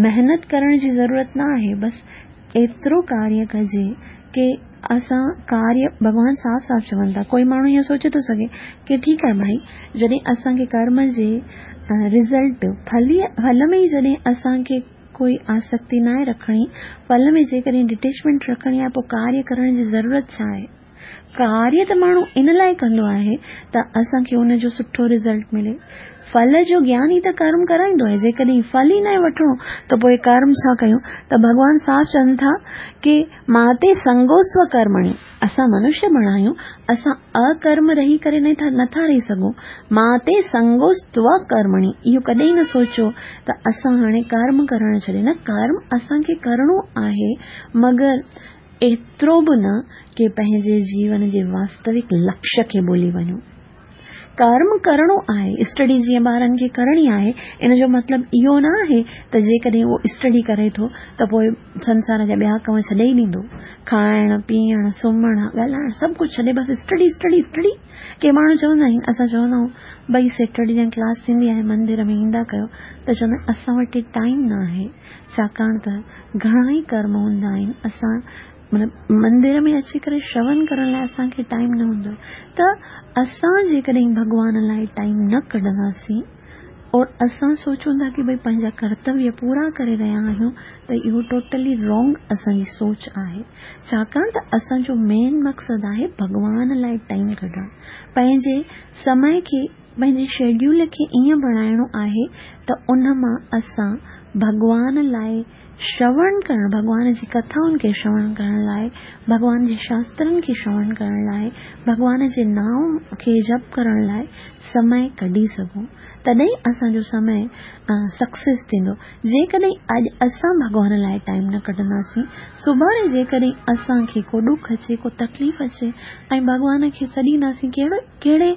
Speaker 1: महिनत करण जी ज़रूरत न आहे, बसि एतिरो कार्य कजे की असां कार्य भॻवान साफ़ साफ़ चवनि था। कोई माण्हू इहो सोचे थो सघे की ठीकु आहे भाई, जॾहिं असांखे कर्म जे रिज़ल्ट फल फल में ई जॾहिं असांखे कोई आसक्ति न आहे रखणी, फल में जेकॾहिं डिटेचमेंट रखणी आहे, पोइ कार्य करण जी ज़रूरत छा आहे? कार्य त माण्हू इन लाइ कंदो आहे त असांखे उनजो सुठो रिज़ल्ट मिले। फल जो ज्ञान ई त कर्म कराईंदो आहे। जेकॾहिं फल ई न वठिणो त पोइ कर्म छा कयूं? त भॻवान साफ़ चवनि था की माते संगोस्व कर्मणि। असां मनुष्य बणायूं, असां अकर्म रही करे नथा नथा रही सघूं। माते संगोस्त्व कर्मणि, इहो कॾहिं न सोचो त असां हाणे कर्म करणु छॾे। न, कर्म असांखे करिणो आहे, मगर एतिरो बि न की पंहिंजे जीवन जे वास्तविक लक्ष्य खे भुली वञूं। ڪرم ڪرڻو آهي، اسٽڊي جيئن ٻارن کي ڪرڻي آهي، ان جو مطلب اهو نه آهي ته جيڪڏهن اهو اسٽڊي ڪري ٿو ته پوء سنسار جا ٻيا ڪم ڇڏي ئي ڏيندو. کائڻ، پيئڻ، سمهڻ، ڳالهائڻ سڀ ڪجهه ڇڏي بس اسٽڊي اسٽڊي اسٽڊي. ڪي ماڻهو چوندا آهن، اسان چوندا آهيون ڀئي سيٽرڊي جڏهن ڪلاس ٿيندي آهي مندر ۾ ايندا ڪيو ته چوندا آهن اسان وٽ ٽائيم نه آهي، ڇاڪاڻ ته گهڻا ئي ڪرم هوندا آهن، اسان مطلب مندر ۾ اچي ڪري شرون ڪرڻ لاءِ اسان کي ٽائيم نه هوندو آهي. ته اسان جيڪڏهن ڀڳوان لاءِ ٽائيم نه ڪڍنداسين اور اسان سوچون ٿا ڪه ڀئي پنهنجا ڪرتويه پورا ڪري رهيا آهيون ته اهو ٽوٽلي رانگ اسان جي سوچ آهي. ڇاڪاڻ ته اسان جو مين مقصد آهي ڀڳوان لاءِ ٽائيم ڪڍڻ، پنهنجي سمي کي پنهنجي شيڊيول کي ائين بڻائڻو آهي ته ان مان اسان ڀڳوان لاءِ شرون ڪرڻ، ڀڳوان جي ڪٿائن کي شرون ڪرڻ لاءِ، ڀڳوان جي شاسترن کي شرون ڪرڻ لاءِ، ڀڳوان جي نام کي جپ ڪرڻ لاءِ سمي ڪڍي سگهون، تڏهن اسان جو سمي سڪسيس ٿيندو. جيڪڏهن اڄ اسان ڀڳوان لاءِ ٽائيم نه ڪڍنداسين، سڀاڻي جيڪڏهن اسان کي ڪو ڏک اچي، ڪو تڪليف اچي ۽ ڀڳوان کي سڏينداسين، ڪهڙو ڪهڙي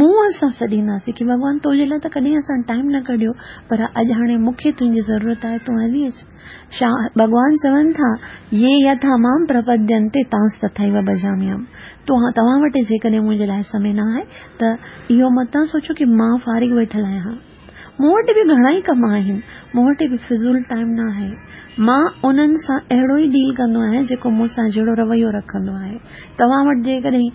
Speaker 1: منهن سان سڏينداسين ڪه ڀڳوان تو جي لاءِ ته ڪڏهن اسان ٽائيم نه ڪڍيو، پر اڄ هاڻي مون کي تنهنجي ضرورت آهي، تون هلي اچ. شا ڀڳوان چون ٿا، يي يٿا مام پرپدينتي تانس تٿيو ڀجاميهم. توهان وٽ جيڪڏهن منهنجي لاءِ سمي نه آهي ته اهو متان سوچو ڪه مان فارغ ويٺل آهيان، مون وٽ به گهڻا ئي ڪم آهن، مون وٽ به فضول ٽائيم نه آهي. مان انهن سان اهڙو ئي ڊيل ڪندو آهيان جيڪو مون سان جهڙو رويو رکندو آهي. توهان وٽ جيڪڏهن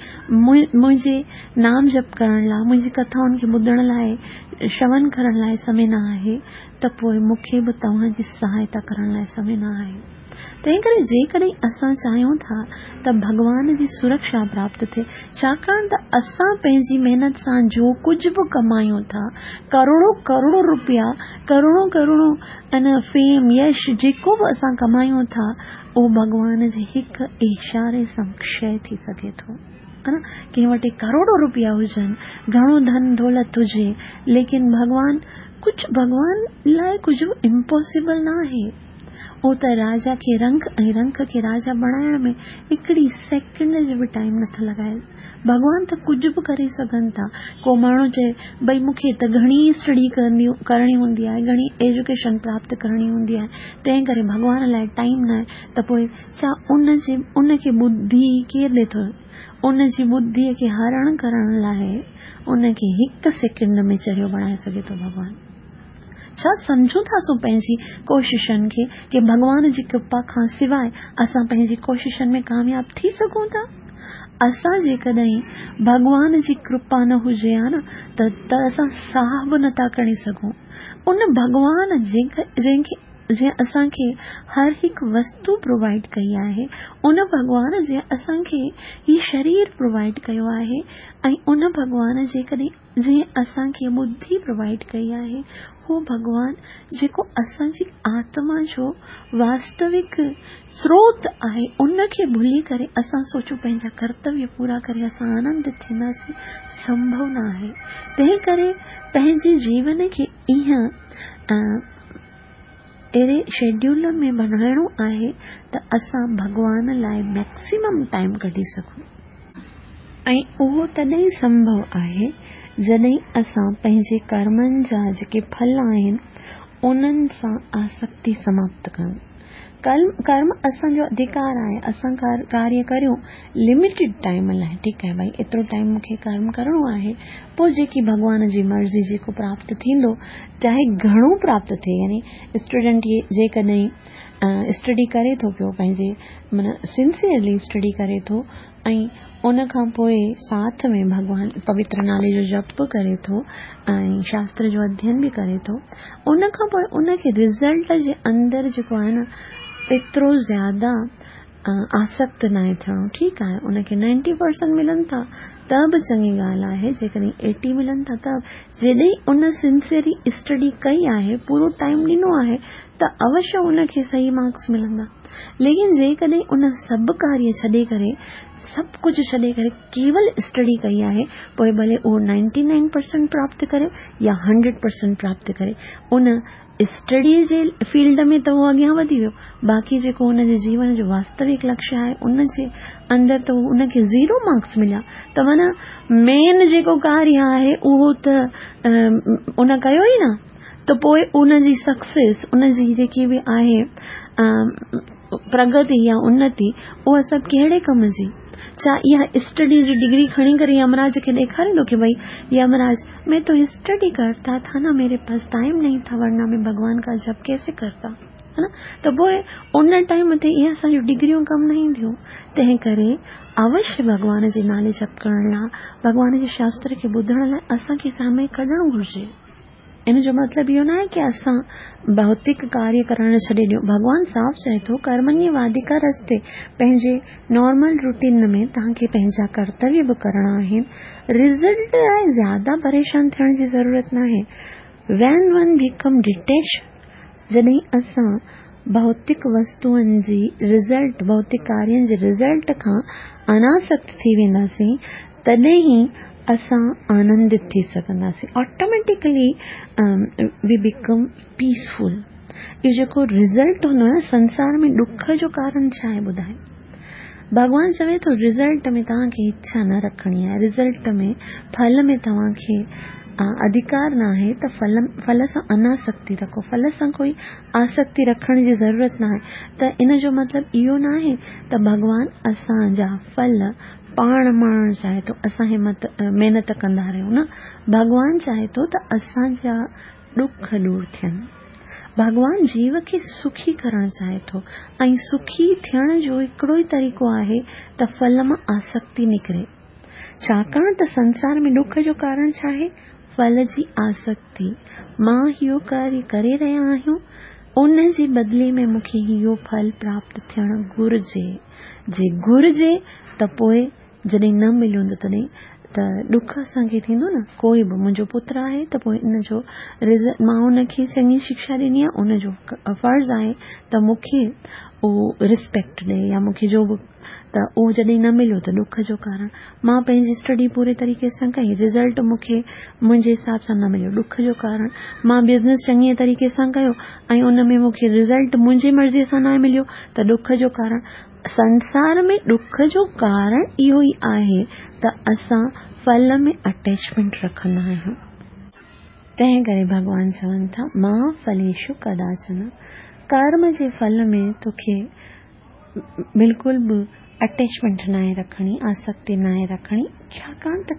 Speaker 1: منهنجي نام جپ ڪرڻ لاءِ، منهنجي ڪٿائن کي ٻڌڻ لاءِ، شرون ڪرڻ لاءِ سمي نه آهي ته پوءِ مون کي به توهان جي سهائتا ڪرڻ لاءِ سمي نه آهي. تنهن ڪري جيڪڏهن اسان چاهيون ٿا ته ڀڳوان جي سرڪشا پراپت ٿئي، ڇاڪاڻ ته اسان پنهنجي محنت سان جو ڪجهه به ڪمايون ٿا، ڪروڙو ڪروڙو رپيا، ڪروڙو ڪروڙو ان فيم يش جيڪو به اسان ڪمايون ٿا، اهو ڀڳوان جي هڪ اشاري سان ڪشي ٿي سگهي ٿو. ڪنهن وٽ ڪروڙو رپيا هجن، گهڻو ڌن دولت هجي، ليڪن ڀڳوان ڪجهه ڀڳوان لاءِ ڪجهه به امپاسيبل نه آهي. اهو ته راجا کي رنگ ۽ رنگ کي راجا بڻائڻ ۾ هڪڙي سيڪنڊ جو به ٽائيم نٿا لڳائي. ڀڳوان ته ڪجهه به ڪري سگهن ٿا. ڪو ماڻهو چئي ڀئي مون کي ته گهڻي اسٽڊي ڪرڻي ڪرڻي هوندي آهي، گهڻي ايجوڪيشن پراپت ڪرڻي هوندي آهي، تنهن ڪري ڀڳوان لاءِ ٽائيم نه آهي، ته پوءِ ڇا ان جي ان کي ٻڌي ڪير ڏئي ٿو؟ ان جي ٻڌيءَ کي هرڻ ڪرڻ لاءِ ان کي هڪ سيڪنڊ ۾ چريو بڻائي سگهي ٿو ڀڳوان. ڇا سمجهون ٿا سو پنهنجي ڪوششن کي ڪه ڀڳوان جي ڪرپا کان سواءِ اسان پنهنجي ڪوششن ۾ ڪامياب ٿي سگهون ٿا؟ اسان جيڪڏهن ڀڳوان جي ڪرپا نه هجي ها نه ته اسان ساهه به نٿا کڻي سگهون. ان ڀڳوان جنهن کي جنهن اسان کي هر هڪ وستو پرووائيڊ ڪئي آهي، ان ڀڳوان جنهن اسان کي هي شرير پرووائيڊ ڪيو آهي ۽ ان ڀڳوان جيڪڏهن جنهن اسان کي ٻڌي پرووائيڊ ڪئي آهي، هو ڀڳوان جيڪو اسان جي آتما جو واستوڪ سروت آهي، ان کي ڀلي ڪري اسان سوچون پنهنجا ڪرتويه پورا ڪري اسان آنندت ٿينداسين، سنڀو نه آهي. تنهن ڪري پنهنجي جيون کي ائين اهڙي شيڊيول ۾ بڻائڻو آهي ته اسان ڀڳوان لاءِ ميڪسيمم ٽائيم ڪڍي سگهون. ۽ اهو تڏهن سنڀو آهي جڏهن اسان پنهنجي ڪرمن جا جيڪي ڦل آهن انهن سان آسڪتي سماپت ڪيون. ڪرم اسان جو اڌڪار آهي، اسان ڪاريه ڪريون لميٽيڊ ٽائيم لاءِ، ٺيڪ آهي ڀائي ايترو ٽائيم مون کي ڪرم ڪرڻو آهي، پوءِ جيڪي ڀڳوان جي مرضي جيڪو پراپت ٿيندو، چاهي گهڻو پراپت ٿئي، يعني اسٽوڊنٽ جيڪڏهن اسٽڊي ڪري ٿو پيو پنهنجي معنيٰ سنسيئرلي اسٽڊي ڪري ٿو ۽ ان کان پوءِ ساٿ ۾ ڀڳوان پوتر نالي جو جپ به ڪري ٿو ۽ شاستر جو اڌين به ڪري ٿو، ان کان پوءِ ان کي رزلٽ جي اندر جيڪو آهي نه ايترو زياده آسڪت ناهي ٿيڻو. ٺيڪ آهي ان کي نائنٽي پرسنٽ ملن ٿا ته به چڱي ڳالهه آهي، جيڪڏهن ايٽي ملن ٿا ته جڏهن ان سنسيئرلي اسٽڊي ڪئي آهي، پورو ٽائيم ڏنو آهي ته اوشيه ان کي صحيح مارڪس ملندا. ليڪن جيڪڏهن ان سڀ ڪاريه ڇڏي ڪري، سڀ ڪجهه ڇڏي ڪري ڪيول اسٽڊي ڪئي آهي، پوءِ ڀلي اهو نائنٽي نائن پرسنٽ پراپت ڪري يا هنڊريڊ پرسنٽ پراپت ڪري، ان اسٽڊي جي فيلڊ ۾ ته اهو اڳيان وڌي ويو، باقي جيڪو هن جي جيون جو واستوڪ لڪشيه آهي ان جي اندر ته ان کي زيرو مارڪس مليا. ته माना मेन जेको कार्य आहे उहो त उन कयो ई न, त पोइ उनजी सक्सेस, उनजी जेकी बि आहे प्रगति या उन्नति, उहा सभु कहिड़े कम जी? छा इहा स्टडी जी डिग्री खणी करे यमराज खे ॾेखारींदो की भई यमराज मैं तो स्टडी करता था ना, मेरे पास टाइम नहीं था, वरना मैं भगवान का जप कैसे करता, है ना? त पोइ उन टाइम ते इहे असांजूं डिग्रियूं कमु न ईंदियूं। तंहिं करे अवश्य भॻवान जे नाले जप करण लाइ, भॻवान जे शास्त्र खे ॿुधण लाइ असांखे समय कढणु घुरिजे। इन जो मतिलबु इहो न आहे की असां भौतिक कार्य करण छॾे ॾियूं। भॻवान साफ़ चए थो कर्मण्यवाधिकारस्ते, पंहिंजे नॉर्मल रूटीन में तव्हांखे पंहिंजा कर्तव्य बि करणा आहिनि। रिज़ल्ट लाइ ज़्यादा परेशान थियण जी ज़रूरत न आहे। वैन वन बिकम डिटेच, जॾहिं असां भौतिक वस्तुअनि जी रिज़ल्ट, भौतिक कार्यनि जे रिज़ल्ट खां अनासक्त थी वेंदासीं, तॾहिं ई असां आनंदित थी सघंदासीं। Automatically we become peaceful. इहो जेको रिज़ल्ट हूंदो आहे संसार में ॾुख जो कारण छा आहे ॿुधाए? भॻवान चवे थो रिज़ल्ट में तव्हांखे इच्छा न रखणी आहे, रिज़ल्ट में फल में तव्हांखे अधिकार न आहे, त फल फल सां अनासक्ति रखो, फल सां कोई आसक्ति रखण जी ज़रूरत न आहे। त इन जो मतिलबु इहो न आहे त भॻवान असांजा फल पाण माणण चाहे थो, असां हिमत महिनत कंदा रहियूं न। भॻवान चाहे थो त असांजा ॾुख दूर थियनि। भॻवान जीव खे सुखी करण चाहे थो ऐं सुखी थियण जो हिकिड़ो ई तरीक़ो आहे त फल मां आसक्ति निकिरे। छाकाणि त संसार में ॾुख जो कारण छा आहे? फल जी आसक्ति। मां इहो कार्य करे रहिया आहियूं, उन जे बदिले में मूंखे इहो फल प्राप्त थियणु घुरिजे। जे घुरिजे त पोइ जॾहिं न मिलियो हूंदो तॾहिं त ॾुख असांखे थींदो न। कोई बि मुंहिंजो पुत्र आहे त पोइ इन जो रिज़ल्ट, मां हुनखे चङी शिक्षा ॾिनी आहे, उनजो फ़र्ज़ आहे त मूंखे उहो रिस्पेक्ट ॾे या मूंखे जो बि, त उहो जॾहिं न मिलियो त ॾुख जो कारण। मां पंहिंजी स्टडी पूरे तरीक़े सां कई, रिज़ल्ट मूंखे मुंहिंजे हिसाब सां न मिलियो, ॾुख जो कारण। मां बिज़नेस चङे तरीक़े सां कयो ऐं उन में मूंखे रिज़ल्ट मुंहिंजी मर्ज़ीअ सां न मिलियो त ॾुख जो कारण। संसार में ॾुख जो कारण इहो ई आहे त असां फल में अटैचमेंट रखंदा आहियूं। तंहिं करे भॻवान चवनि था मां फलेषु कदाचन, कर्म जे फल में तोखे बिल्कुलु बि अटैचमेंट न आहे रखणी, आसक्ति न आहे रखणी, छाकाणि त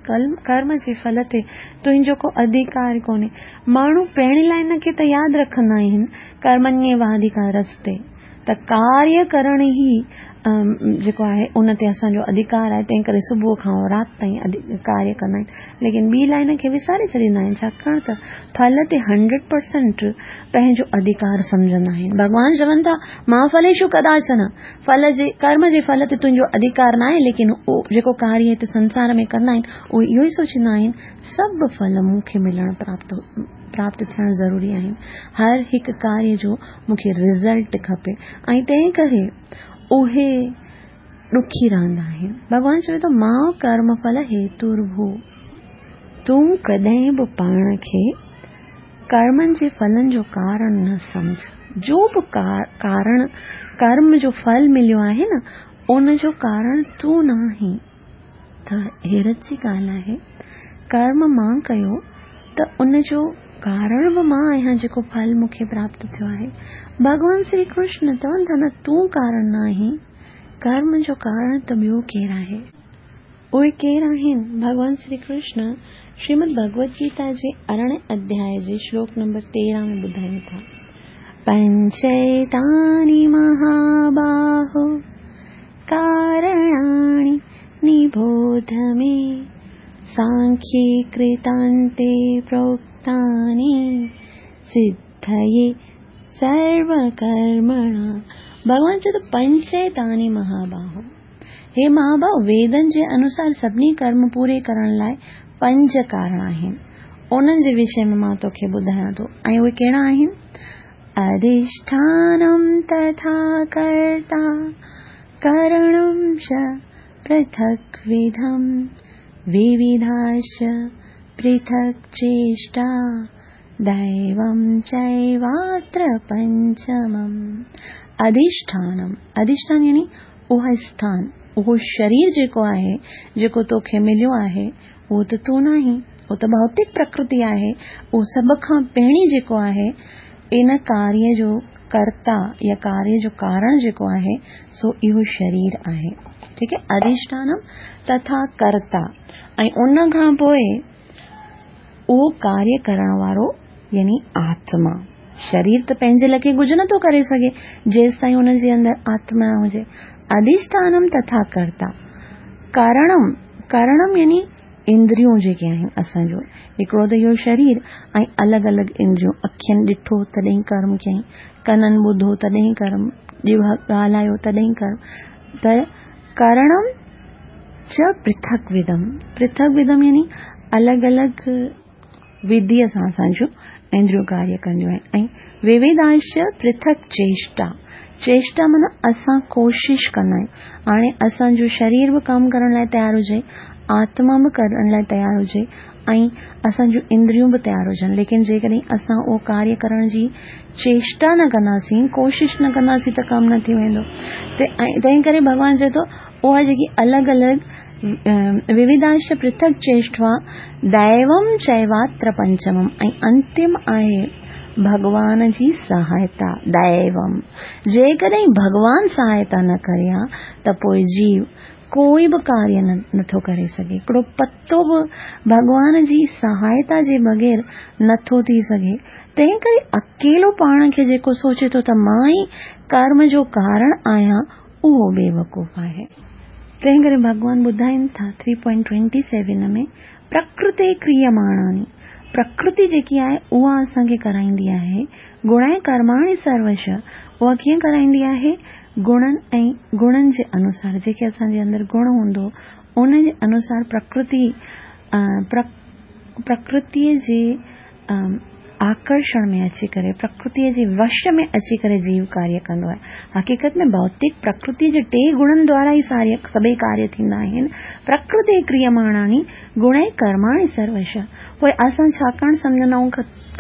Speaker 1: कर्म जे फल ते तुंहिंजो को अधिकार कोन्हे। माण्हू पहिरीं लाइन खे त यादि रखंदा आहिनि कर्मण्येवाधिकारस्ते, त कार्य करण ई जेको आहे उन ते असांजो अधिकार आहे, तंहिं करे सुबुह खां राति ताईं कार्य कंदा आहिनि, लेकिन ॿी लाइन खे विसारे छॾींदा आहिनि, छाकाणि त फल ते हंड्रेड परसेंट पंहिंजो अधिकार सम्झंदा आहिनि। भॻवान चवनि था मां फलेषु कदाचन, फल जे कर्म जे फल ते तुंहिंजो अधिकार न आहे, लेकिन उहो जेको कार्य हिते संसार में कंदा आहिनि उहे इहो ई सोचींदा आहिनि सभु फल मूंखे मिलणु प्राप्त प्राप्त थियणु ज़रूरी आहिनि, हर हिकु कार्य जो मूंखे रिज़ल्ट खपे, ऐं तंहिं करे उहे ॾुखी रहंदा आहिनि। भॻवान चवे थो मां कर्मफल हेतुर्भू, तूं कॾहिं बि पाण खे कर्मनि जे फलनि जो कारण न सम्झ। जो बि कारण कर्म जो फल मिलियो आहे न, उन जो कारण तूं न आहीं। त हैरत जी ॻाल्हि आहे, कर्म मां कयो त उन जो कारण बि मां आहियां जेको फल मूंखे प्राप्त थियो आहे। भॻवान श्री कृष्ण चवनि था न तूं कारण न आहीं, कर्म जो कारण त ॿियो केरु आहे। उहे केरु आहिनि? भॻवान श्री कृष्ण श्रीमद् भगवत गीता जे अरिड़हें अध्याय जे श्लोक नंबर तेरहं में ॿुधाइनि था, पंचैतानि महाबाहो कारणानि निबोध मे, सांख्ये कृतान्ते प्रोक्तानि सिद्धये सर्वकर्मणा। भॻवान चए थो पंचैतानि महाबाहो, हे महाबाहो, वेदनि जे अनुसार सभिनी कर्म पूरे करण लाइ पंज कारण आहिनि, उन्हनि जे विषय में मां तोखे ॿुधायां थो। ऐं उहे कहिड़ा आहिनि? अधिष्ठानं तथा कर्ता करणं च पृथक्विधं विविधाश्च पृथक् चेष्टा दैवं चैवात्र पंचमम्। अधिष्ठानम, अधिष्ठान यानी उहा स्थान, اهو شرير جيڪو آهي، جيڪو توکي مليو آهي، اهو ته تون ناهين، اهو ته ڀوتڪ پرڪرتي آهي. اهو سڀ کان پهرين جيڪو آهي، ان ڪاريه جو ڪرتا يا ڪاريه جو ڪارڻ جيڪو آهي، سو اهو شرير آهي. ٺيڪ آهي، اڌشٺانم تٿا ڪرتا، ۽ ان کان پوء اهو ڪاريه ڪرڻ وارو يعني آتما. شرير ته پنهنجي ليکي ڪجهه نٿو ڪري سگهي جيستائين ان جي اندر آتما نه هجي. اڌشٺانم تٿا ڪرتا، ڪرڻم، ڪرڻم يعني اندريون جيڪي آهن اسان جو، هڪڙو ته اهو شرير ۽ الڳ الڳ اندريون، اکين ڏٺو تڏهن ڪرم ڪيائين، ڪنن ٻڌو تڏهن ڪرم، ڄڀ ڳالهايو تڏهن ڪرم. ته ڪرڻم چ پرٿڪ ودم، پرٿڪ ودم يعني الڳ الڳ وڌيء سان اسان جون اندريون ڪاريه ڪنديون آهن. ۽ ووڌانش پرٿڪ چيشٽا، چيشٽا معنيٰ اسان ڪوشش ڪندا آهيون. هاڻي اسان جو شرير به ڪم ڪرڻ لاءِ تيار هجي، آتما به ڪرڻ لاءِ تيار هجي ۽ اسان جون اندريون به تيار هجن، ليڪن جيڪڏهن اسان اهو ڪاريه ڪرڻ جي چيشٽا نه ڪنداسين، ڪوشش نه ڪنداسين ته ڪم نه ٿي ويندو. تنهن ڪري ڀڳوان چئي ٿو اها جيڪي الڳ الڳ ووڌانش پرٿڪ چيشٽا ديوم چيواتر پنچمم، ۽ انتم آهي ڀڳوان جي سهائتا. ديوم، جيڪڏهن ڀڳوان سهائتا نه ڪري ها ته پوءِ جيو ڪوئي به ڪاريه نٿو ڪري سگهي، هڪڙو پتو به ڀڳوان جي سهائتا جي بغير نٿو ٿي سگهي. تنهن ڪري اڪيلو پاڻ کي جيڪو سوچي ٿو ته مان ئي ڪرم جو ڪارڻ آهيان، اهو بيوقوف آهي. تنهن ڪري ڀڳوان ٻڌائين ٿا ٿري پوائنٽ ٽوئنٽي سيون ۾ پرڪرتي ڪريماڻاني، پرڪرتي جيڪي آهي اها اسان کي ڪرائيندي آهي. گڻ ڪرماڻي سروش، اها ڪيئن ڪرائيندي آهي؟ گڻن ۽ گڻن جي انوسار، جيڪي اسان جي اندر گڻ هوندو ان جي انوسار پرڪرتي پرڪرتيءَ جي آڪرشڻ ۾ اچي ڪري، پرڪرتيءَ جي وش ۾ اچي ڪري جيو ڪاريه ڪندو آهي. حقيقت ۾ ڀوتڪ پرڪرتيءَ جي ٽي گڻن دوارا ئي ساري سڀئي ڪاريه ٿيندا آهن. پرڪرتي ڪريماڻاني گڻ ڪرماڻي سروش. پوءِ اسان ڇاڪاڻ سمجهندا آهيون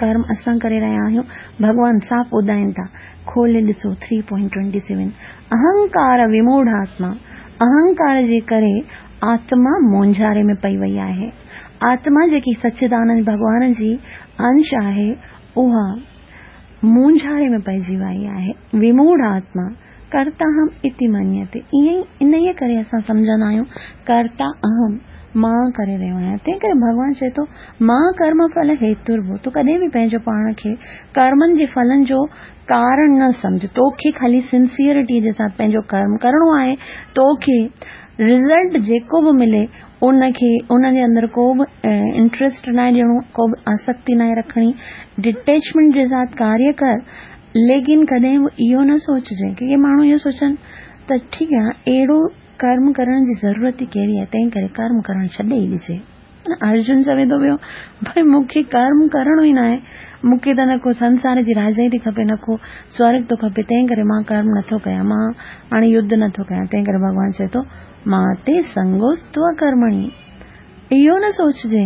Speaker 1: ڪرم اسان ڪري رهيا آهيون؟ ڀڳوان صاف ٻڌائين ٿا، کولي ڏسو ٿري پوائنٽ ٽوئنٽي سيون، اهنڪار وموڙ آتما، اهنڪار جي ڪري آتما مونجهاري ۾ پئي وئي آهي. آتما جيڪي سچدانند ڀڳوان جي انش آهي اها مونجهاري ۾ پئجي وئي آهي. وموڙ آتما ڪرتا هم اتي مڃيتي، ائين ئي ان ئي ڪري اسان سمجهندا آهيون ڪرتا اهم، مان ڪري رهيو آهيان. تنهن ڪري ڀڳوان چئي ٿو مان ڪرم ڦل هيتربو، تون ڪڏهن به پنهنجو پاڻ کي ڪرمن جي ڦلن جو ڪارڻ نه سمجهه. توکي خالي سنسيئرٽي جي ساٿ پنهنجو ڪرم ڪرڻو آهي، توکي رزلٽ جيڪو به ملي ان کي ان جي اندر ڪو به انٽريسٽ نه ڏيڻو، ڪو به آسڪتي نه رکڻي، ڊٽيچمينٽ جي ساٿ ڪاريه ڪر. ليڪن ڪڏهن به اهو نه سوچجي ڪي ڪي ماڻهو اهو سوچن ته ٺيڪ آهي اهڙو ڪرم ڪرڻ جي ضرورت ئي ڪهڙي آهي، تنهن ڪري ڪرم ڪرڻ ڇڏي ئي ڏجي. ارجن چوي ٿو پيو ڀئي مون کي ڪرم ڪرڻو ئي نه آهي، مون کي ته نه ڪو سنسار جي راجائي ٿي کپي نه ڪو سورڳ ٿو کپي، تنهن ڪري مان ڪرم نٿو ڪيان، مان هاڻي يڌ نٿو ڪيان. تنهن ڪري ڀڳوان چئي ٿو مان تي سنگوستو ڪرمڻي، اهو نه سوچجي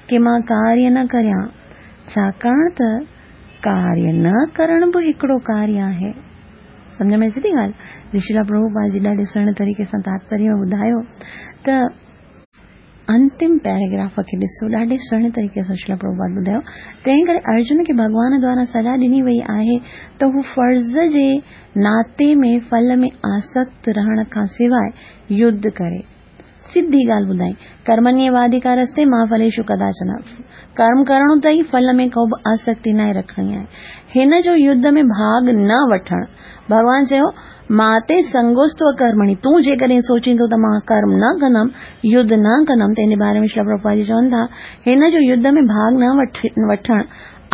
Speaker 1: ڪه مان ڪاريه نه ڪريان، ڇاڪاڻ ته ڪاريه نه ڪرڻ به هڪڙو ڪاريه آهي. سمجهه ۾ اچي ٿي ڳالهه؟ جي شريلا پرڀوپاد جي ڏاڍي سهڻي طريقي سان تاتپريه ٻڌايو ته انتم پيراگراف کي ڏسو، ڏاڍي سهڻي طريقي سان شريلا پرڀوپاد ٻڌايو. تنهن ڪري ارجن کي ڀڳوان دوارا صلاح ڏني وئي آهي ته هو فرض جي ناتي ۾ ڦل ۾ آسڪت رهڻ کان سواءِ يڌ ڪري. سڌي ڳالهه ٻڌائي، ڪرمنيه واڌڪارستي مان ڦليشو ڪداچن، ڪرم ڪرڻو اٿئي ڦل ۾ ڪو به آسڪتي نه رکڻي آهي. هن جو يڌ ۾ ڀاڳ نه وٺڻ، ڀڳوان چيو مان تي سنگوستو ڪرمڻي، تون جيڪڏهن سوچيندو ته مان ڪرم نه ڪندم، يڌ نه ڪندم، تنهن جي باري ۾ شريلا پرڀوپاد جي چون ٿا هن جو يڌ ۾ ڀاڳ نه وٺڻ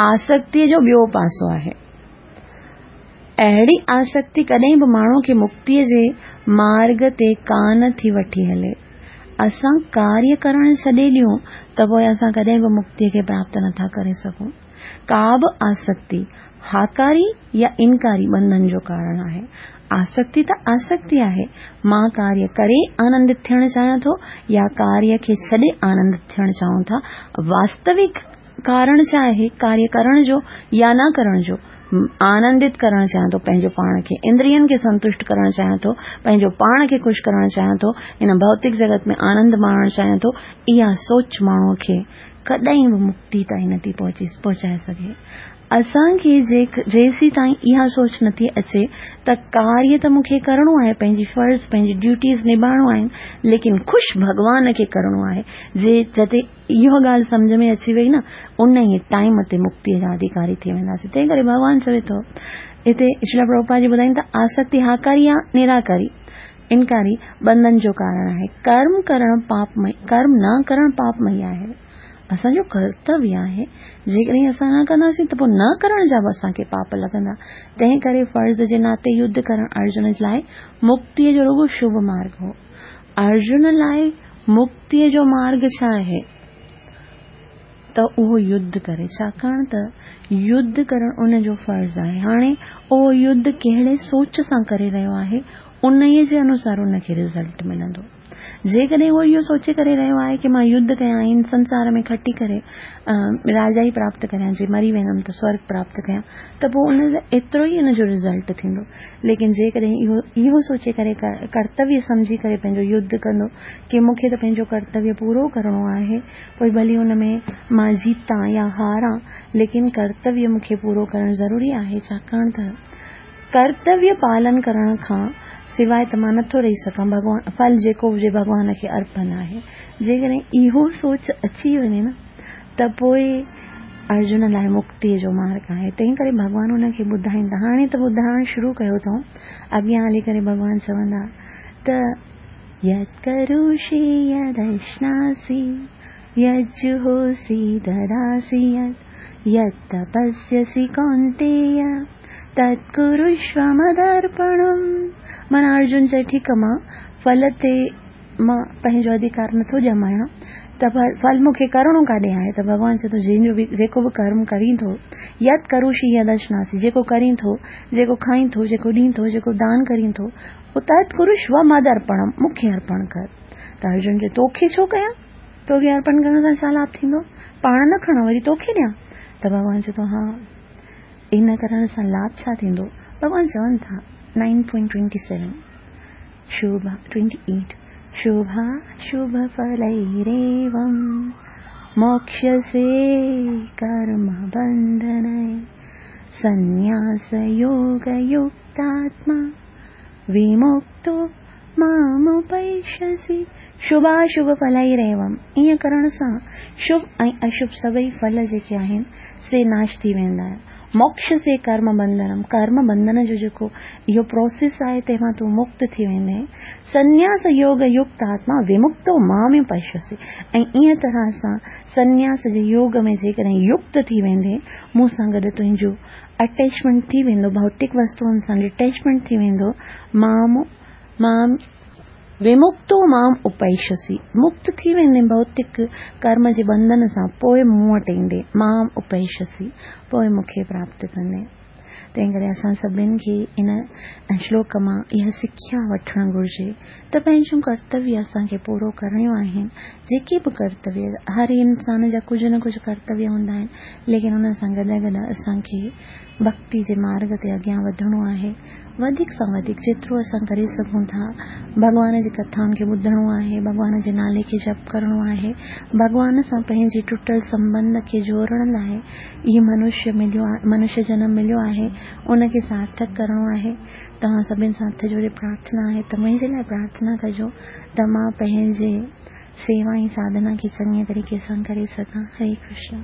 Speaker 1: آسڪتيءَ جو ٻيو پاسو آهي. اهڙي آسڪتي ڪڏهن به ماڻهوءَ کي مڪتيءَ جي مارگ تي ڪانه ٿي وٺي هلي. اسان ڪاريه ڪرڻ ڇڏي ڏيون ته پوءِ اسان ڪڏهن به مڪتيءَ کي پراپت نٿا ڪري سگهون. ڪا به آسڪتي هاڪاري يا انڪاري ٻنڌن جو ڪارڻ آهي. آسڪتي ته آسڪتي آهي. مان ڪاريه ڪري آنندت ٿيڻ چاهيان ٿو يا ڪاريه کي ڇڏي آنندت ٿيڻ چاهيون ٿا. واستوڪ ڪارڻ ڇا آهي ڪاريه ڪرڻ جو يا نه ڪرڻ جو؟ آنندت ڪرڻ چاهيان ٿو، پنهنجو پاڻ کي، اندرين کي سنتشٽ ڪرڻ چاهيان ٿو، پنهنجو پاڻ کي خوش ڪرڻ چاهيان ٿو، هن ڀوتڪ جڳت ۾ آنند ماڻڻ چاهيان ٿو، اها سوچ ماڻهوء کي ڪڏهن به مڪتي تائين نٿي پهچي پهچائي سگهي. اسان کي جيسين تائين اها سوچ نٿي اچي ته ڪاريه ته مون کي ڪرڻو آهي، پنهنجي فرض، پنهنجي ڊيوٽيز نڀائڻو آهن، ليڪن خوش ڀڳوان کي ڪرڻو آهي. جي جتي اها ڳالهه سمجهه ۾ اچي وئي نه، ان ئي ٽائيم تي مڪتيء جا اڌيڪاري ٿي وينداسين. تنهن ڪري ڀڳوان چوي ٿو، هتي شريلا پرڀوپاد جي ٻڌائين ته آسڪتي هاڪاري يا نراڪاري، انڪاري، بنڌن جو ڪارڻ آهي. ڪرم ڪرڻ پاپمئي، ڪرم نه ڪرڻ پاپمئي آهي. اسان جو ڪرتويه آهي، جيڪڏهن اسان نه ڪنداسين ته پوء نه ڪرڻ جا به اسان کي پاپ لڳندا. تنهن ڪري فرض جي ناتي يڌ ڪرڻ ارجن لاء مڪتيء جو رڳو شڀ مارگ هو. ارجن لاء مڪتيء جو مارگ ڇا آهي؟ ته اهو يڌ ڪري، ڇاڪاڻ ته يڌ ڪرڻ ان جو فرض آهي. هاڻي اهو يڌ ڪهڙي سوچ سان ڪري رهيو آهي، انهيء جي انوسار ان کي رزلٽ ملندو. جيڪڏهن هو اهو سوچي ڪري رهيو آهي ڪي مان يڌ ڪيان ۽ هن سنسار ۾ کٽي ڪري راجائي پراپت ڪريان، جي مري ويندم ته سورگ پراپت ڪيان، ته پوء ان ايترو ئي ان جو رزلٽ ٿيندو. ليڪن جيڪڏهن اهو اهو سوچي ڪري ڪرتويه سمجهي ڪري پنهنجو يڌ ڪندو ڪي مون کي ته پنهنجو ڪرتويه پورو ڪرڻو آهي، پوء ڀلي ان ۾ مان جيتان يا هاران، ليڪن ڪرتويه مون کي پورو ڪرڻ ضروري آهي، ڇاڪاڻ ته ڪرتويه پالن ڪرڻ کان سواء ته مان نٿو رهي سگهان، ڀڳوان ڦل جيڪو هجي ڀڳوان کي ارپڻ آهي. جيڪڏهن اهو سوچ اچي وڃي نه ته پوء ارجن لاء مڪتيء جو مارگ آهي. تنهن ڪري ڀڳوان ان کي ٻڌائين ٿا. هاڻي ته ٻڌائڻ شروع ڪيو اٿئون، اڳيان هلي ڪري ڀڳوان چوندا ته يت ڪروشي يدشناسي يجهوسي دداسي يت يت تپسيسي ڪونتيي تت ڪرشو مدرپڻم. معنيٰ ارجن چئي ٺيڪ مان ڦل تي مان پنهنجو اڌيڪار نٿو ڄمايان ته ڦل مون کي ڪرڻو ڪاڏي آهي؟ ته ڀڳوان چئي ٿو جنهن جو به جيڪو به ڪرم ڪرين ٿو، يت ڪروشي يدشناسي، جيڪو ڪرين ٿو، جيڪو کائين ٿو، جيڪو ڏين ٿو، جيڪو دان ڪرين ٿو، اهو تت ڪرشو مدرپڻم، مون کي ارپڻ ڪر. ته ارجن چئي توکي ڇو ڪيان؟ توکي ارپڻ ڪرڻ سان ڇا لاڀ ٿيندو؟ پاڻ نه کڻان وري توکي ڏيان؟ ته ڀڳوان چئي ٿو ها، ان ڪرڻ سان لاڀ ڇا ٿيندو؟ ڀڳوان چون ٿا نائن پوائنٽ ٽوئنٽي سيون شوڀا ٽوئنٽي ايٽ شوڀا شوڀ ڦليريوم موڪشسي ڪرم بنڌني سنياس يوگ يڪتاتما ومڪتو مامپيشسي. شڀاشڀ ڦليريوم، ائين ڪرڻ سان شڀ ۽ اشڀ سڀئي ڦل جيڪي آهن سي ناش ٿي ويندا. موڪشسي ڪرم بنڌنم، ڪرم بنڌن جو جيڪو اهو پروسيس آهي تنهن مان تون مڪت ٿي ويندين. سنياس يوگ يڪت آتما ومڪتو مامپيشسي، ۽ ائين طرح سان سنياس جي يوگ ۾ جيڪڏهن يڪت ٿي ويندين، مون سان گڏ تنهنجو اٽيچمينٽ ٿي ويندو، ڀوتڪ وستوئن سان ڊٽيچمينٽ ٿي ويندو. مام مام ومڪتو مام اپيشسي، مڪت ٿي ويندين ڀوتڪ ڪرم جي بنڌن سان، پوء مون وٽ ايندين، مام اپيشسي، پوء مون کي پراپت ڪندين. تنهن ڪري اسان سڀني کي ان شلوڪ مان اها سکيا وٺڻ گهرجي ته پنهنجون ڪرتويه اسان کي پورو ڪرڻيون آهن. جيڪي به ڪرتويه، هر انسان جا ڪجهه نه ڪجهه ڪرتويه هوندا آهن، ليڪن ان سان گڏ گڏ اسان کي ڀڪتي جي مارگ تي اڳيان وڌڻو آهي. وڌيڪ سان وڌيڪ جيترو اسان ڪري سگهون ٿا ڀڳوان جي ڪٿائن کي ٻڌڻو آهي، ڀڳوان جي نالي کي جپ ڪرڻو آهي، ڀڳوان سان پنهنجي ٽٽل سنٻنڌ کي جوڙڻ لاء هي منشيه مليو آهي، منشيه جنم مليو آهي، ان کي سارٿڪ ڪرڻو آهي. توهان سڀني سان هٿ جوڙي پرارٿنا آهي ته منهنجي لاء پرارٿنا ڪجو ته مان پنهنجي سيوا ۽ ساڌنا کي چڱي طريقي سان ڪري سگهان. هري ڪرشن.